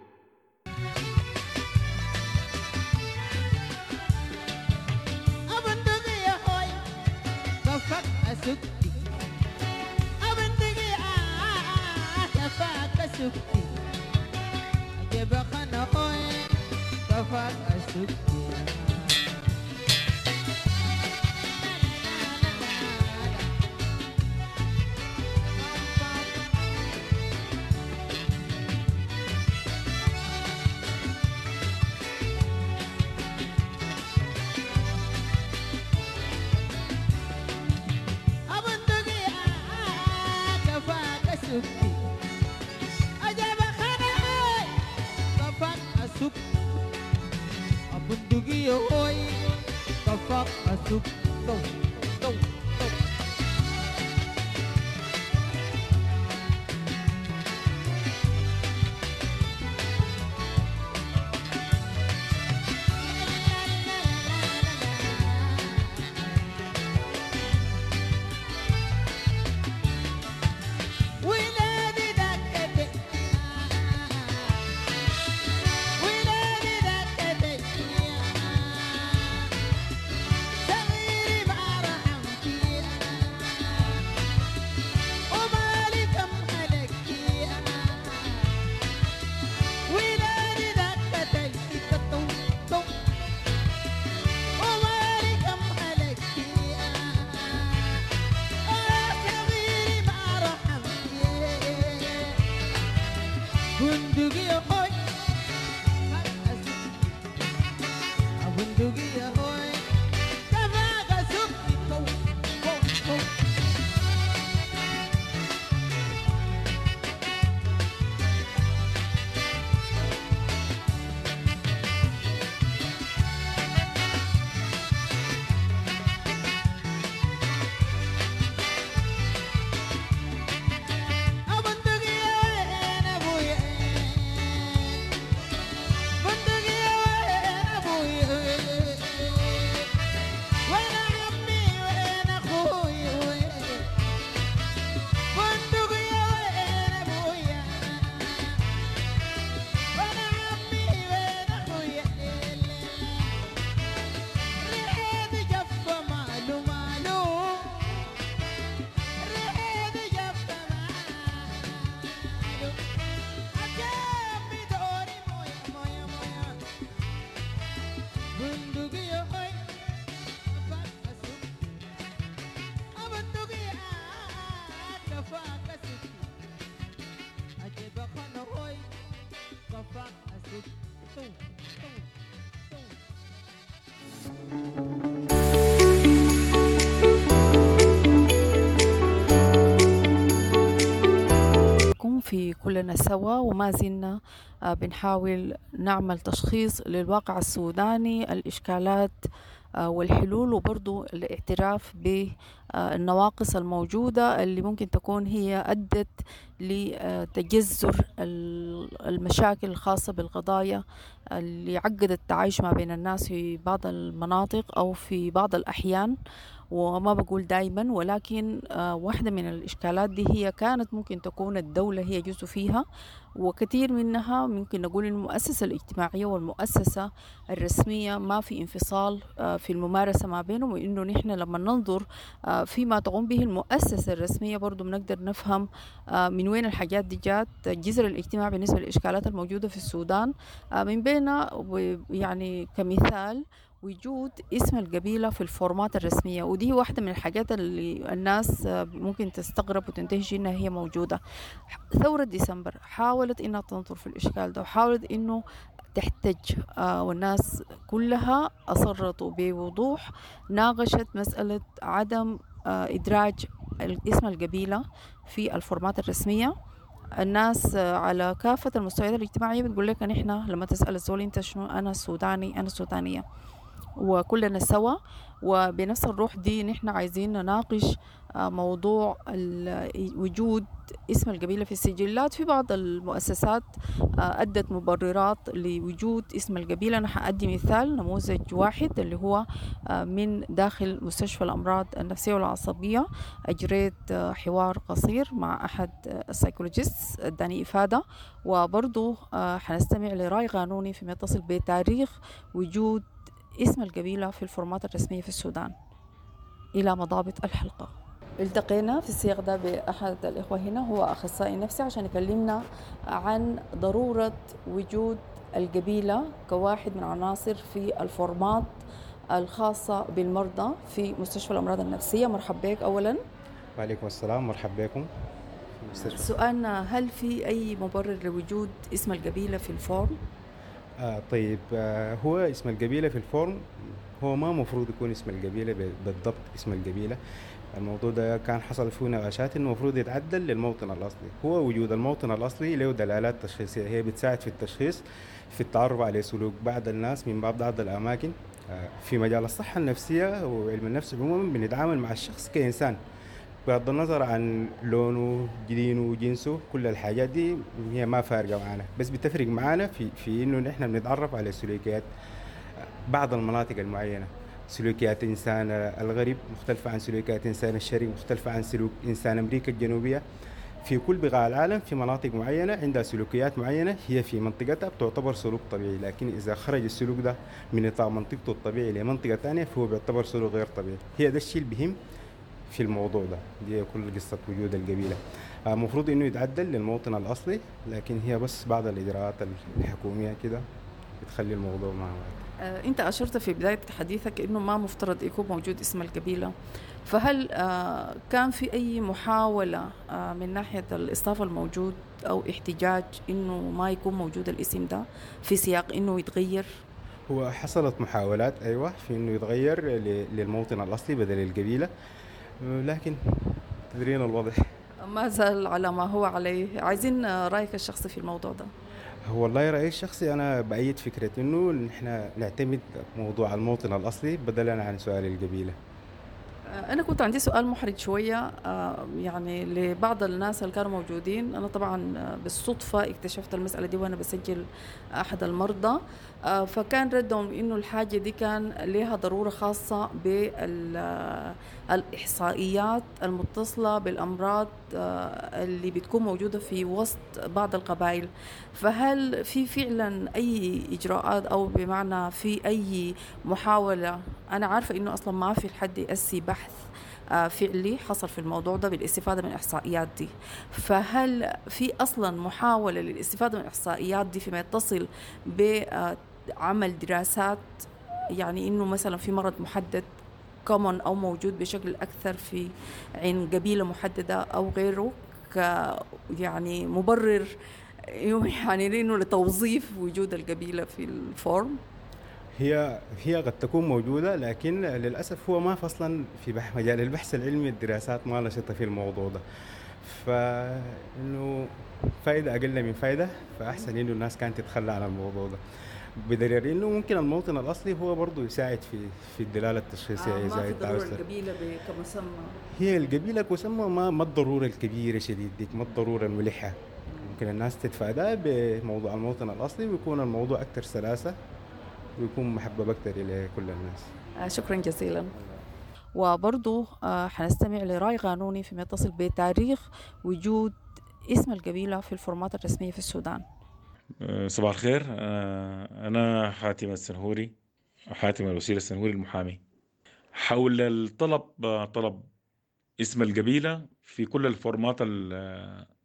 بندقية هوي. بندقية هوي كفاك أسك بندقية كفاك أسك أجيب خنا هوي كفاك أسك تو تو تو. في كلنا سوا، وما زلنا بنحاول نعمل تشخيص للواقع السوداني، الإشكالات والحلول، وبرضو الاعتراف بالنواقص الموجودة اللي ممكن تكون هي أدت لتجذر المشاكل الخاصة بالقضايا اللي عقدت التعايش ما بين الناس في بعض المناطق أو في بعض الأحيان، وما بقول دايما، ولكن واحدة من الإشكالات دي هي كانت ممكن تكون الدولة هي جزء فيها، وكثير منها ممكن نقول إن المؤسسة الاجتماعية والمؤسسة الرسمية ما في انفصال في الممارسة ما بينهم، وإنه نحن لما ننظر فيما تقوم به المؤسسة الرسمية برضو بنقدر نفهم من وين الحاجات دي جات. الجذر الاجتماعي بالنسبة للإشكالات الموجودة في السودان من بينها يعني كمثال وجود اسم القبيلة في الفورمات الرسمية، ودي واحدة من الحاجات اللي الناس ممكن تستغرب وتنتهج إنها هي موجودة. ثورة ديسمبر حاولت إنها تنظر في الإشكال ده، وحاولت إنه تحتج، والناس كلها أصرت بوضوح، ناقشت مسألة عدم إدراج اسم القبيلة في الفورمات الرسمية. الناس على كافة المستويات الاجتماعية بتقول لك نحن لما تسأل الزول أنت شنو، أنا سوداني، أنا سودانية، وكلنا سوا. وبنفس الروح دي نحن عايزين نناقش موضوع وجود اسم القبيلة في السجلات. في بعض المؤسسات أدت مبررات لوجود اسم القبيلة. أنا حأدي مثال نموذج واحد اللي هو من داخل مستشفى الأمراض النفسية والعصبية. أجريت حوار قصير مع أحد ال psychologist اداني إفادة، وبرضو حنستمع لرأي قانوني فيما يتصل بتاريخ وجود اسم القبيلة في الفورمات الرسمية في السودان. إلى مضابط الحلقة. التقينا في السياق ده بأحد الإخوة هنا، هو أخصائي نفسي، عشان يكلمنا عن ضرورة وجود القبيلة كواحد من عناصر في الفورمات الخاصة بالمرضى في مستشفى الأمراض النفسية. مرحب بك أولا. وعليكم السلام، مرحب بكم. سؤالنا، هل في أي مبرر لوجود اسم القبيلة في ال form؟ طيب، هو اسم القبيلة في ال form هو ما مفروض يكون اسم القبيلة بالضبط اسم القبيلة. الموضوع ده كان حصل فيه نقاشات انه المفروض يتعدل للموطن الأصلي. هو وجود الموطن الأصلي له دلالات تشخيصية، هي بتساعد في التشخيص، في التعرف على سلوك بعض الناس من بعض الأماكن. في مجال الصحة النفسية وعلم النفس عموما بنتعامل مع الشخص كإنسان بغض النظر عن لونه، دينه، جنسه، كل الحاجات دي هي ما فارقة معنا، بس بتفرق معنا في انه نحن بنتعرف على سلوكيات بعض المناطق المعينة. سلوكيات إنسان الغرب مختلفة عن سلوكيات إنسان الشرق، مختلفة عن سلوك إنسان أمريكا الجنوبية. في كل بقاع العالم في مناطق معينة عندها سلوكيات معينة هي في منطقتها بتعتبر سلوك طبيعي، لكن إذا خرج السلوك ده من نطاق منطقته الطبيعي لمنطقة ثانية فهو بيعتبر سلوك غير طبيعي. هي ده الشيء اللي بهم في الموضوع ده، دي كل قصة وجود القبيلة. المفروض إنه يتعدل للموطن الأصلي، لكن هي بس بعض الإجراءات الحكومية كده بتخلي الموضوع مع بعض. أنت أشرت في بداية حديثك إنه ما مفترض يكون موجود اسم القبيلة، فهل كان في أي محاولة من ناحية الاستاف الموجود أو احتجاج إنه ما يكون موجود الاسم ده في سياق إنه يتغير؟ هو حصلت محاولات أيوة في إنه يتغير للموطن الأصلي بدل القبيلة، لكن تدرين الوضع ما زال على ما هو عليه. عايزين رأيك الشخصي في الموضوع ده. هو والله رأيي الشخصي أنا بأيد فكرة إنه نحن نعتمد موضوع الموطن الأصلي بدلا عن سؤال القبيلة. أنا كنت عندي سؤال محرج شوية يعني لبعض الناس اللي كانوا موجودين. أنا طبعا بالصدفة اكتشفت المسألة دي وأنا بسجل أحد المرضى، فكان ردهم إنه الحاجة دي كان لها ضرورة خاصة بالإحصائيات المتصلة بالأمراض اللي بتكون موجودة في وسط بعض القبائل. فهل في فعلا أي إجراءات أو بمعنى في أي محاولة؟ أنا عارفة إنه أصلا ما في حد يأسي بحث فعلي حصل في الموضوع ده بالاستفادة من الإحصائيات دي، فهل في أصلا محاولة للاستفادة من الإحصائيات دي فيما يتصل بعمل دراسات يعني إنه مثلا في مرض محدد common أو موجود بشكل أكثر في عند قبيلة محددة أو غيره، ك يعني مبرر يعني لأنه لتوظيف وجود القبيلة في ال form؟ هي قد تكون موجودة، لكن للأسف هو ما فصلا في مجال البحث العلمي، الدراسات ما نشطة في الموضوع ده، فإنه فايدة أقل من فايدة، فأحسن إنه الناس كانت تتخلى عن الموضوع ده، بدليل إنه ممكن الموطن الأصلي هو برضه يساعد في الدلالة التشخيصية. ما في ضرورة القبيلة كمسمى، هي القبيلة كمسمى ما الضرورة الكبيرة شديد ديك، ما الضرورة الملحة، ممكن الناس تتفادى بموضوع الموطن الأصلي ويكون الموضوع أكثر سلاسة ويكون محبب أكثر إلى كل الناس. شكرا جزيلا. وبرضو حنستمع لرأي قانوني فيما يتصل بتاريخ وجود اسم القبيلة في الفورمات الرسمية في السودان. صباح الخير، أنا حاتم السنهوري، حاتم الوسيل السنهوري المحامي. حول الطلب، طلب اسم القبيلة في كل الفورمات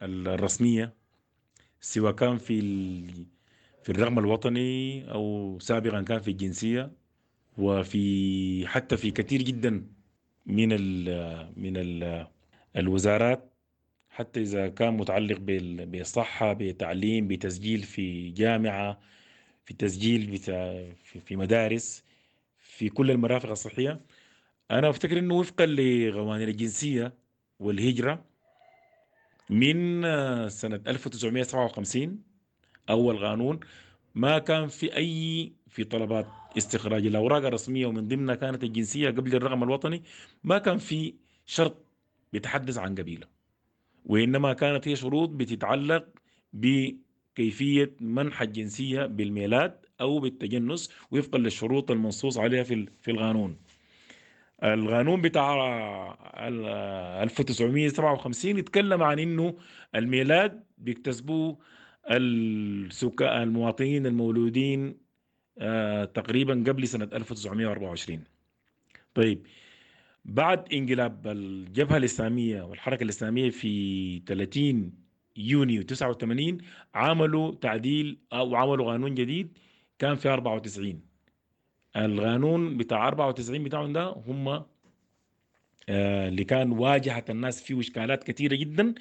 الرسمية، سواء كان في الرقم الوطني أو سابقا كان في الجنسية، وفي حتى في كثير جدا من ال الوزارات، حتى إذا كان متعلق بالصحة، بتعليم، بتسجيل في جامعة، في تسجيل في مدارس، في كل المرافق الصحية. أنا أفتكر أنه وفقا لقوانين الجنسية والهجرة من سنة 1957 أول قانون، ما كان في أي في طلبات استخراج الأوراق الرسمية ومن ضمنها كانت الجنسية قبل الرقم الوطني، ما كان في شرط بيتحدث عن قبيلة، وإنما كانت هي شروط بتتعلق بكيفية منح الجنسية بالميلاد أو بالتجنس وفقا للشروط المنصوص عليها في القانون. القانون بتاع 1957 يتكلم عن إنه الميلاد بيكتسبوه السكان المواطنين المولودين تقريبا قبل سنة 1924. طيب، بعد انقلاب الجبهة الإسلامية والحركة الإسلامية في 30 يونيو 89 عملوا تعديل أو عملوا قانون جديد كان في 94. القانون بتاع 94 بتاعهم ده هم اللي كان واجهت الناس فيه إشكالات كثيرة جدا.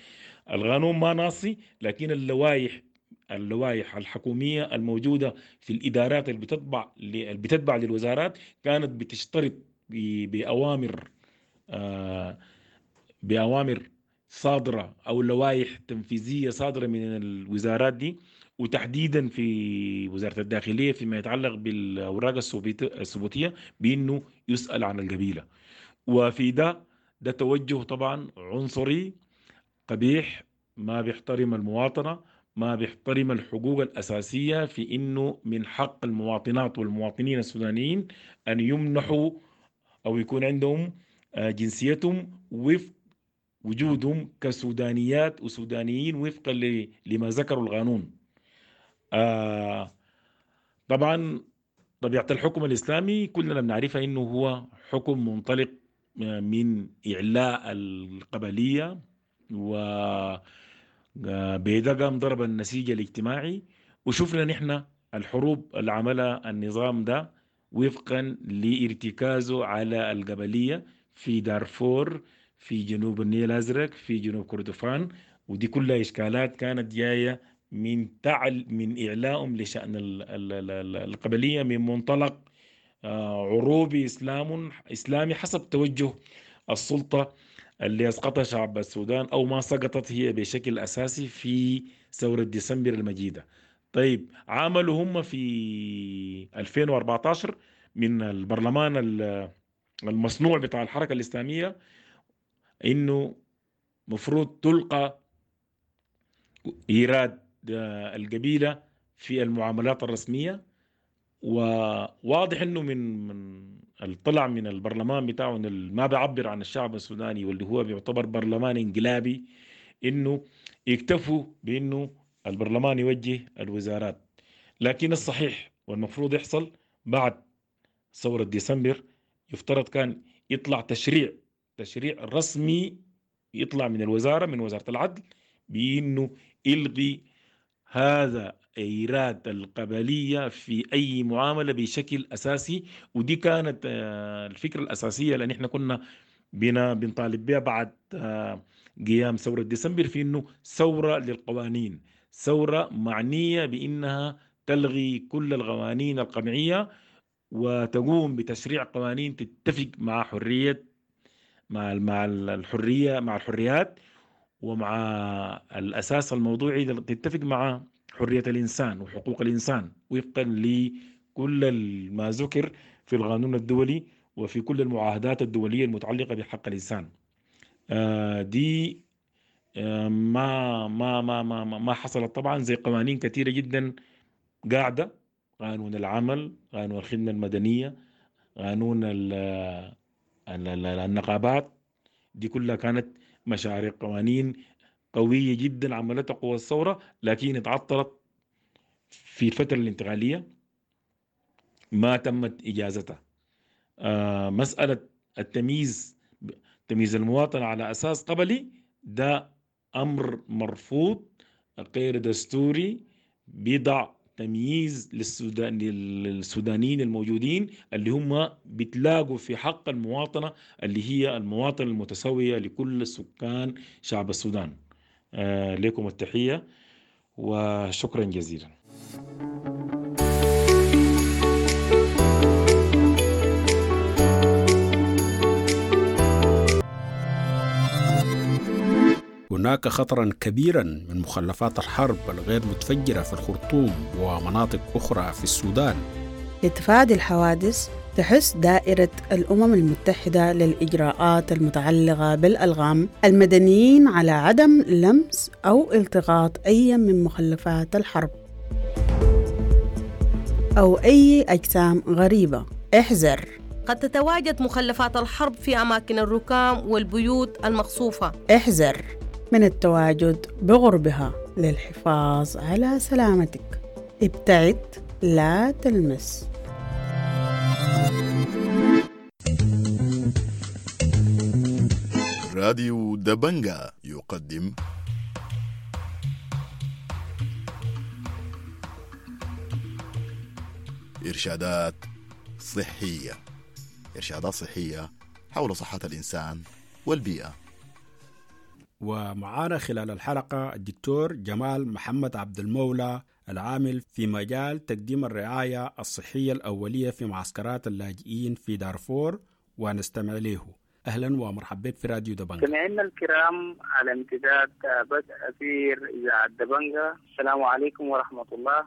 القانون ما ناصي، لكن اللوائح الحكومية الموجودة في الإدارات اللي بتتبع للوزارات كانت بتشترط بأوامر صادرة أو لوائح تنفيذية صادرة من الوزارات دي، وتحديدا في وزارة الداخلية فيما يتعلق بالأوراق الثبوتية بأنه يسأل عن القبيلة. وفي ده توجه طبعا عنصري قبيح، ما بيحترم المواطنة، ما بيحترم الحقوق الأساسية في إنه من حق المواطنات والمواطنين السودانيين أن يمنحوا أو يكون عندهم جنسيتهم وفق وجودهم كسودانيات وسودانيين وفقا لما ذكروا القانون. طبعا طبيعة الحكم الإسلامي كلنا بنعرفها إنه هو حكم منطلق من إعلاء القبلية، و بيدا قام ضرب النسيج الاجتماعي، وشفنا نحن الحروب اللي عملها النظام ده وفقا لارتكازه على القبلية في دارفور، في جنوب النيل الأزرق، في جنوب كردفان، ودي كلها إشكالات كانت جاية من من إعلائهم لشأن القبلية من منطلق عروبي إسلامي حسب توجه السلطة اللي أسقطها شعب السودان أو ما سقطت هي بشكل أساسي في ثورة ديسمبر المجيدة. طيب، عملوا هم في 2014 من البرلمان المصنوع بتاع الحركة الإسلامية إنه مفروض تلقى إيراد القبيلة في المعاملات الرسمية، وواضح إنه من الطلع من البرلمان بتاعه ما بيعبر عن الشعب السوداني واللي هو بيعتبر برلمان انقلابي، إنه يكتفوا بإنه البرلمان يوجه الوزارات. لكن الصحيح والمفروض يحصل بعد ثورة ديسمبر يفترض كان يطلع تشريع رسمي يطلع من الوزارة، من وزارة العدل، بإنه يلغي هذا إيراد القبلية في أي معاملة بشكل أساسي. ودي كانت الفكرة الأساسية لأن إحنا كنا بنطالب بها بعد قيام ثورة ديسمبر، في إنه ثورة للقوانين، ثورة معنية بإنها تلغي كل القوانين القمعية وتقوم بتشريع قوانين تتفق مع حرية مع الحرية، مع الحريات، ومع الأساس الموضوعي تتفق مع حرية الإنسان وحقوق الإنسان وفقا لكل ما ذكر في القانون الدولي وفي كل المعاهدات الدولية المتعلقة بحق الإنسان. دي ما ما ما ما ما حصلت طبعا، زي قوانين كثيرة جدا قاعدة، قانون العمل، قانون الخدمة المدنية، قانون النقابات، دي كلها كانت مشاريع قوانين قوية جدا عملتها قوى الثورة، لكن اتعطلت في الفترة الانتقالية، ما تمت إجازتها. مسألة التمييز، تمييز المواطن على أساس قبلي، ده أمر مرفوض غير دستوري، بيضع تمييز للسودانيين الموجودين اللي هم بتلاقوا في حق المواطنة اللي هي المواطنة المتساوية لكل السكان شعب السودان. لكم التحية وشكرا جزيلا. هناك خطرا كبيرا من مخلفات الحرب الغير متفجرة في الخرطوم ومناطق أخرى في السودان. لتفادي الحوادث تحث دائرة الأمم المتحدة للإجراءات المتعلقة بالألغام المدنيين على عدم لمس أو التقاط أي من مخلفات الحرب أو أي أجسام غريبة. احذر، قد تتواجد مخلفات الحرب في أماكن الركام والبيوت المقصوفة. احذر من التواجد بغربها للحفاظ على سلامتك. ابتعد، لا تلمس. راديو دبنجا يقدم إرشادات صحية، إرشادات صحية حول صحة الإنسان والبيئة. ومعانا خلال الحلقة الدكتور جمال محمد عبد المولى، العامل في مجال تقديم الرعاية الصحية الأولية في معسكرات اللاجئين في دارفور، ونستمع له. أهلا ومرحبا بك في راديو دبنجا. سمعنا الكرام على امتداد بدء أثير إذاعة دبنجا، السلام عليكم ورحمة الله.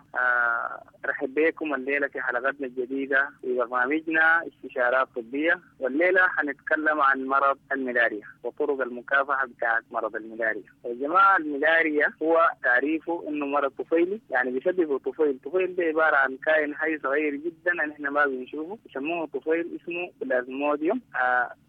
أرحب بكم الليلة في حلقتنا الجديدة في برنامجنا استشارات طبية، والليلة حنتكلم عن مرض الملاريا وطرق المكافحة بتاعة مرض الملاريا. يا جماعة، الملاريا هو تعريفه إنه مرض طفيلي، يعني بيسببه طفيل. طفيل ده عبارة عن كائن حي صغير جدا نحن ما بنشوفه، يسموه طفيل، اسمه بلازموديوم.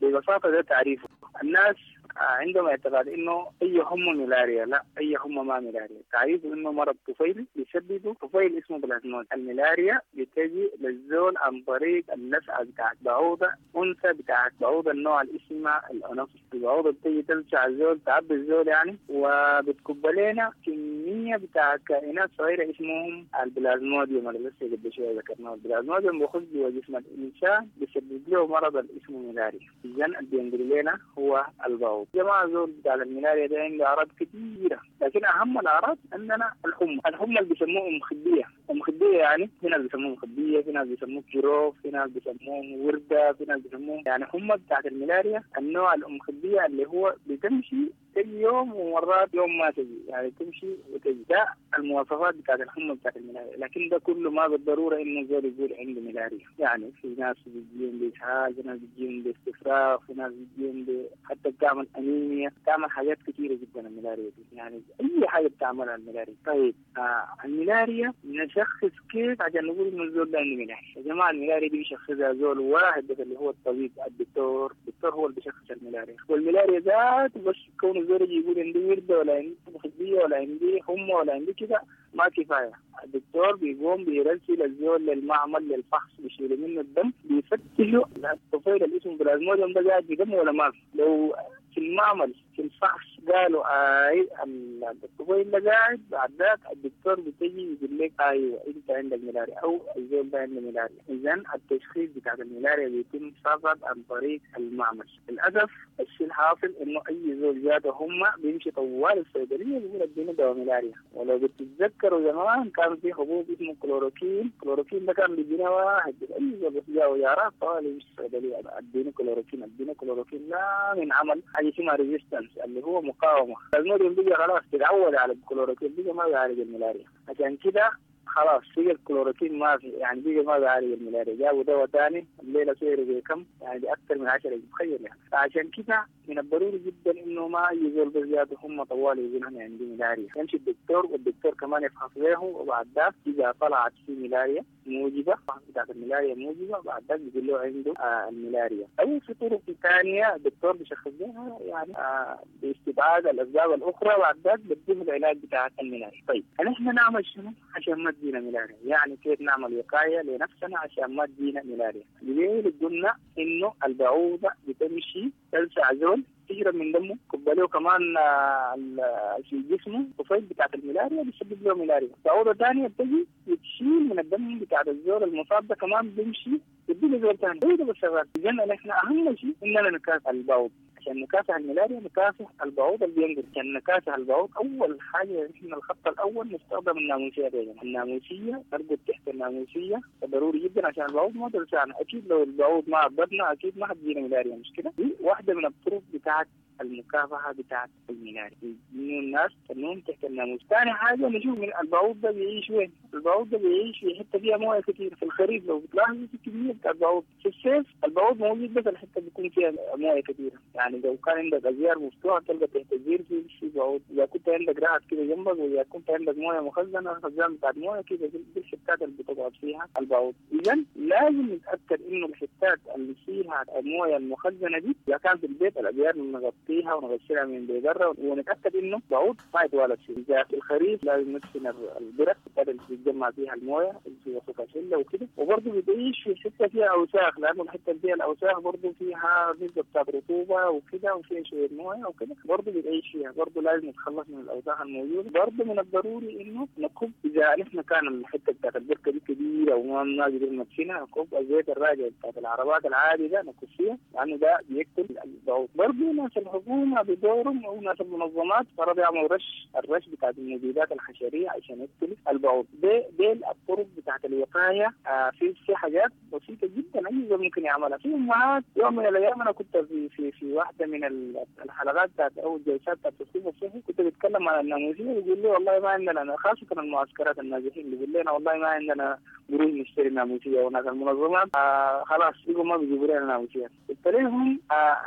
ببساطة ده تعريفه. الناس عندهم اعتقاد انه اي حمى ملاريا، لا، اي حمى ما ملاريا. تعريفه انه مرض طفيلي بيسببه طفيل اسمه بلازمود. الملاريا بتجي للزول عن طريق اللسعه بتاعت بعوضه انثى بتاعت بعوضه النوع اللي اسمها الانوفيس. البعوضه بتجي تلسع الزول، تعبي الزول يعني، وبتكب لنا كميه بتاعت كائنات صغيره اسمهم البلازموديوم اللي لسه قبل شويه ذكرناه. البلازموديوم بيخش جوا جسم الانسان، بيسبب له مرض اللي اسمه ملاريا. اذا اللي بينقل لنا هو البعوض. جماعة زول بتاع الملاريا ده عنده أعراض كثيرة، لكن أهم الأعراض عندنا الحمى. الحمى اللي بيسموه أم خدية. أم خدية يعني في ناس بيسموه مخدية، في ناس بيسموه جروف، في ناس بيسموه وردة، في ناس بيسموه يعني حمى بتاعت الملاريا النوع الأم خدية اللي هو بتمشي تجي يوم ومرات يوم ما تجي، يعني تمشي وتجي. ده المواصفات بتاعت الحمى بتاعت الملاريا، لكن ده كله ما بالضرورة إنه زول يقول عنده ملاريا. يعني في ناس بتجيهم بإسهال، في ناس بتجيهم باستفراغ، في ناس بتجيهم حتى بتعمل أنيميا، بتعمل حاجات كثيرة جدا الملاريا دي، يعني أي حاجة بتعملها الملاريا. طيب الملاريا نشخص كيف عشان نقول إنه الزول ده عنده ملاريا؟ يا جماعة الملاريا دي بيشخصها زول واحد بس اللي هو الطبيب الدكتور. الدكتور هو اللي بيشخص الملاريا، والملاريا ذات بس كون الزول يجي يقول عندي وردة ولا عندي مخدية ولا عندي حمى ولا عندي كده ما كفاية. الدكتور بيقوم بيرسل الزول للمعمل للفحص، بيشيلوا منه الدم، بيفتشوا الطفيل اللي اسمه بلازموديوم ده قاعد في دمه ولا ما في. لو في المعمل في الفحص قالوا اي الطفيل ده قاعد، بعد ذاك الدكتور بتجي يقول لك ايوه انت عندك ملاريا او الزول ده عنده ملاريا. اذا التشخيص بتاع الملاريا بيتم فقط عن طريق المعمل. للاسف الشيء الحاصل انه اي زول جاته هم بيمشي طوال الصيدلية بيقول اديني دواء ملاريا. ولو بتتذكروا زمان كان في حبوب اسمه كلوروكين، كلوروكين ده كان بيدينا واحد اي زول بس جاه يا طوال يمشي الصيدلية اديني كلوروكين اديني كلوروكين، لا من عمل حاجة اسمها resistance اللي هو مقاومة. المريض بقى خلاص تتعود على الكلوروكين، بقى ما بيعالج الملاريا، عشان كده خلاص بقى الكلوروكين ما في، يعني بقى ما بيعالج الملاريا، جابوا دواء ثاني الليلة سعره بكم؟ يعني باكثر من 10، تخيل يعني. فعشان كده من الضروري جدا انه ما اي زول بس جاته هم طوال يقول انا عندي ملاريا، يمشي الدكتور والدكتور كمان يفحص له، وبعد ذاك اذا طلعت في ملاريا موجبه، بتاعت الملاريا موجبه، بعد ذاك بيقول له عنده الملاريا. او في طرق ثانية الدكتور بيشخص بها يعني باستبعاد الاسباب الاخرى، بعد ذاك بديه العلاج بتاع الملاريا. طيب نحن نعمل شنو عشان ما تجينا ملاريا؟ يعني كيف نعمل وقاية لنفسنا عشان ما تجينا ملاريا؟ ليه قلنا انه البعوضة بتمشي تلسع زول تشرب من دمه، كب له كمان في جسمه طفيل بتاعت الملاريا بيسبب له ملاريا. بعوضة ثانية بتجي بتشيل من الدم بتاع الزول المصاب ده كمان بيمشي بيدي له زول ثاني، هو ده بس شغال. اذا نحن اهم شيء اننا نكافح البعوض. عشان نكافح الملاريا نكافح البعوض اللي بينقل. عشان نكافح البعوض اول حاجة نحن الخط الاول نستخدم الناموسيه دي. الناموسيه نرقد تحت الناموسيه ضروري جدا عشان البعوض ما تلسعنا. اكيد لو البعوض ما عضتنا اكيد ما حتجينا ملاريا، مش كده؟ دي واحدة من الطرق بتاعت المكافحه بتاعت الملاريا، انه الناس تنوم تحت الناموس. ثاني حاجة نشوف من البعوض ده بيعيش وين؟ البعوض ده بيعيش في حتة فيها مويه كثير. في الخريف لو بتلاحظوا في كمية بتاعت بعوض، في الصيف البعوض موجود بس الحتة بيكون فيها مويه كثيرة. يعني لو كان عندك ازيار مفتوحة تلقى تحت الزير في بعوض، اذا كنت عندك رعد كده جنبك، واذا كنت عندك مويه مخزنة خزان بتاعت مويه كده، دي الحتات اللي بتقعد فيها البعوض. اذا لازم نتاكد انه الحتات اللي فيها المويه المخزنه دي اذا كان في البيت الازيار نغطيها ونغسلها من برا، ونتاكد انه بعوض ما يتوالد فيه. اذا في الخريف لازم ندفن البرك اللي بتتجمع فيها المويه في وسط الشلة وكده. وبرضه بتعيش في حتة فيها اوساخ، لانه الحتة اللي فيها الاوساخ برضه فيها نسبه بتاعت رطوبة وكده وفيها شوية مويه وكده، برضه بتعيش فيها، برضه لازم نتخلص من الاوساخ الموجودة. برضه من الضروري انه نكب اذا نحن كان الحتة بتاعت البركة دي كبيرة وما قدرنا ندفنها، نكب الزيت الراجع بتاعت العربات العادي ده نكب فيها، لانه ده بيقتل البعوض. برضه ناس الحكومة بدورهم او ناس المنظمات فرض يعملوا رش، الرش بتاعت المبيدات الحشريه عشان يقتل البعوض. دي الطرق بتاعت الوقاية. في حاجات بسيطة جدا اي زول ممكن يعملها. في امهات يوم من الايام انا كنت في في في واحدة من الحلقات بتاعت او الجلسات بتاعت التثقيف الصحي كنت بتكلم عن الناموسيه، بيقول لي والله ما عندنا، خاصة المعسكرات النازحين بيقول لنا والله ما عندنا قروش نشتري ناموسيه، وناس المنظمات خلاص بيقوا ما بيجيبوا لنا ناموسيه. قلت لهم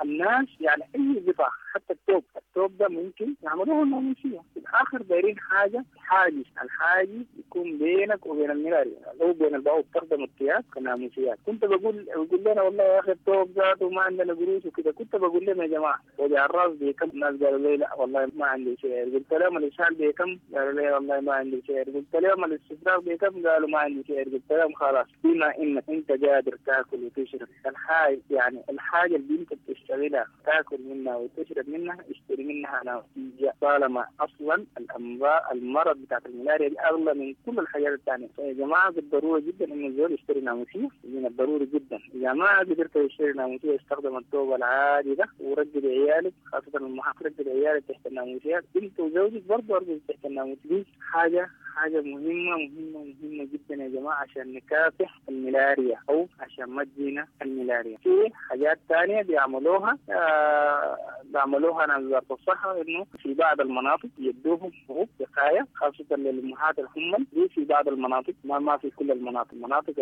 الناس يعني اي قطع حتى التوب، التوب ده ممكن يعملوه الناموسيه. في الاخر دايرين حاجة حاجز، الحاجز يكون بينك وبين الملاريا او بين البعوض، تخدم الثياب كناموسيات. كنت بقول لنا والله يا اخي التوب ذاته ما عندنا قروش وكده. كنت بقول لهم يا جماعة وجع الراس بكم؟ الناس قالوا لي لا والله ما عندي سعر. قلت لهم الاسهال بكم؟ قالوا لي والله ما عندي سعر. قلت لهم الاستفراغ بكم؟ قالوا ما عندي سعر. قلت لهم خلاص بما انك انت قادر تاكل وتشرب الحاجة، يعني الحاجة اللي انت بتشتغلها تاكل منها وتشرب منها اشتري منها ناموسيه، طالما اصلا الامراض المرض بتاعت الملاريا دي اغلى من كل الحاجات الثانية. فيا جماعة بالضرورة جدا انه الزول يشتري ناموسيه، من الضروري جدا. اذا ما قدرت تشتري ناموسيه استخدم الثوب العادي ده ورجل عيالك، خاصة المحافظ رجل عيالك تحت الناموسيات، انت وزوجك برضه ارجل تحت الناموسيه. دي حاجة مهمة مهمة مهمة جدا يا جماعة عشان نكافح الملاريا او عشان ما تجينا الملاريا. في حاجات ثانية بيعملوها بيعملوها ناس وزارة الصحة، انه في بعض المناطق يدوهم حبوب وقاية خاصة للامهات الحمل، دي في بعض المناطق، ما في كل المناطق، المناطق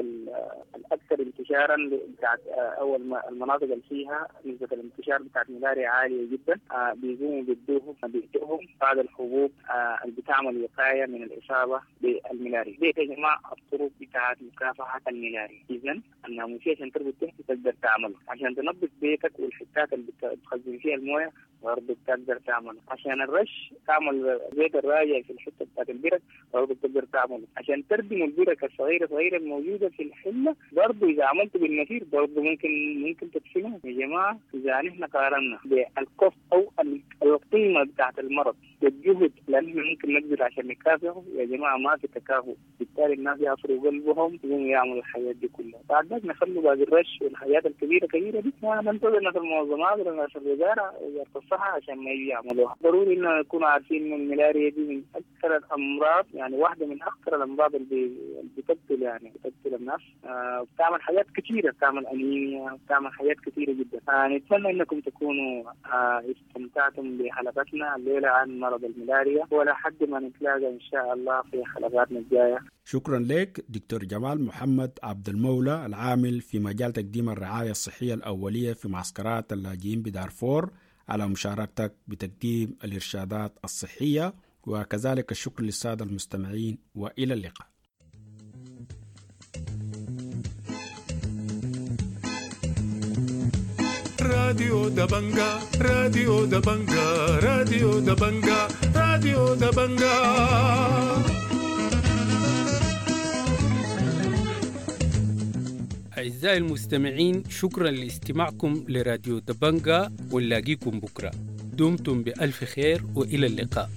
الاكثر انتشارا بتاعت او المناطق اللي فيها نسبه الانتشار بتاعت الملاريا عالية جدا، بيقوموا بيدوهم بعض الحبوب اللي بتعمل وقاية من الاصابة بالملاريا. دي يا جماعة الطرق بتاعت مكافحة الملاريا. اذا الناموسيه عشان تربط تحت تقدر تعملها، عشان تنظف بيتك والحتات اللي بتخزن فيها المويه برضه بتقدر تعمله. عشان الرش تعمل زيت الراجع في الحتة بتاعت البرك برضه بتقدر تعمله. عشان تردم البرك الصغيرة صغيرة الموجودة في الحلة برضه اذا عملته بالمسير برضه ممكن تدفنه. يا جماعة اذا نحن قارنا بال cost او القيمة بتاعت المرض بالجهد اللي نحن ممكن نبذل عشان نكافئه، يا جماعة ما في تكافؤ. بالتالي الناس يعصروا قلبهم يقوموا يعملوا الحاجات دي كلها. بعد ذاك نخلوا باقي الرش والحاجات الكبيرة كبيرة دي ننتظر ناس المنظمات ولا ناس الوزارة، وزارة الصحة، عشان ما يجي يعملوها. ضروري انه نكون عارفين انه الملاريا دي من اكثر الامراض، يعني واحدة من اخطر الامراض اللي بتقتل، يعني بتقتل الناس. بتعمل حاجات كثيرة، بتعمل انيميا، بتعمل حاجات كثيرة جدا. نتمنى انكم تكونوا استمتعتم بحلقتنا الليلة عن مرض الملاريا، ولحد ما نتلاقى ان شاء الله في حلقاتنا الجاية. شكرا لك دكتور جمال محمد عبد المولى العامل في مجال تقديم الرعاية الصحية الأولية في معسكرات اللاجئين بدارفور على مشاركتك بتقديم الإرشادات الصحية، وكذلك الشكر للسادة المستمعين، وإلى اللقاء. راديو دبنجا، راديو دبنجا، راديو دبنجا، راديو دبنجا. أعزائي المستمعين، شكرا لاستماعكم لراديو دبنجا، ونلاقيكم بكرة. دمتم بألف خير وإلى اللقاء.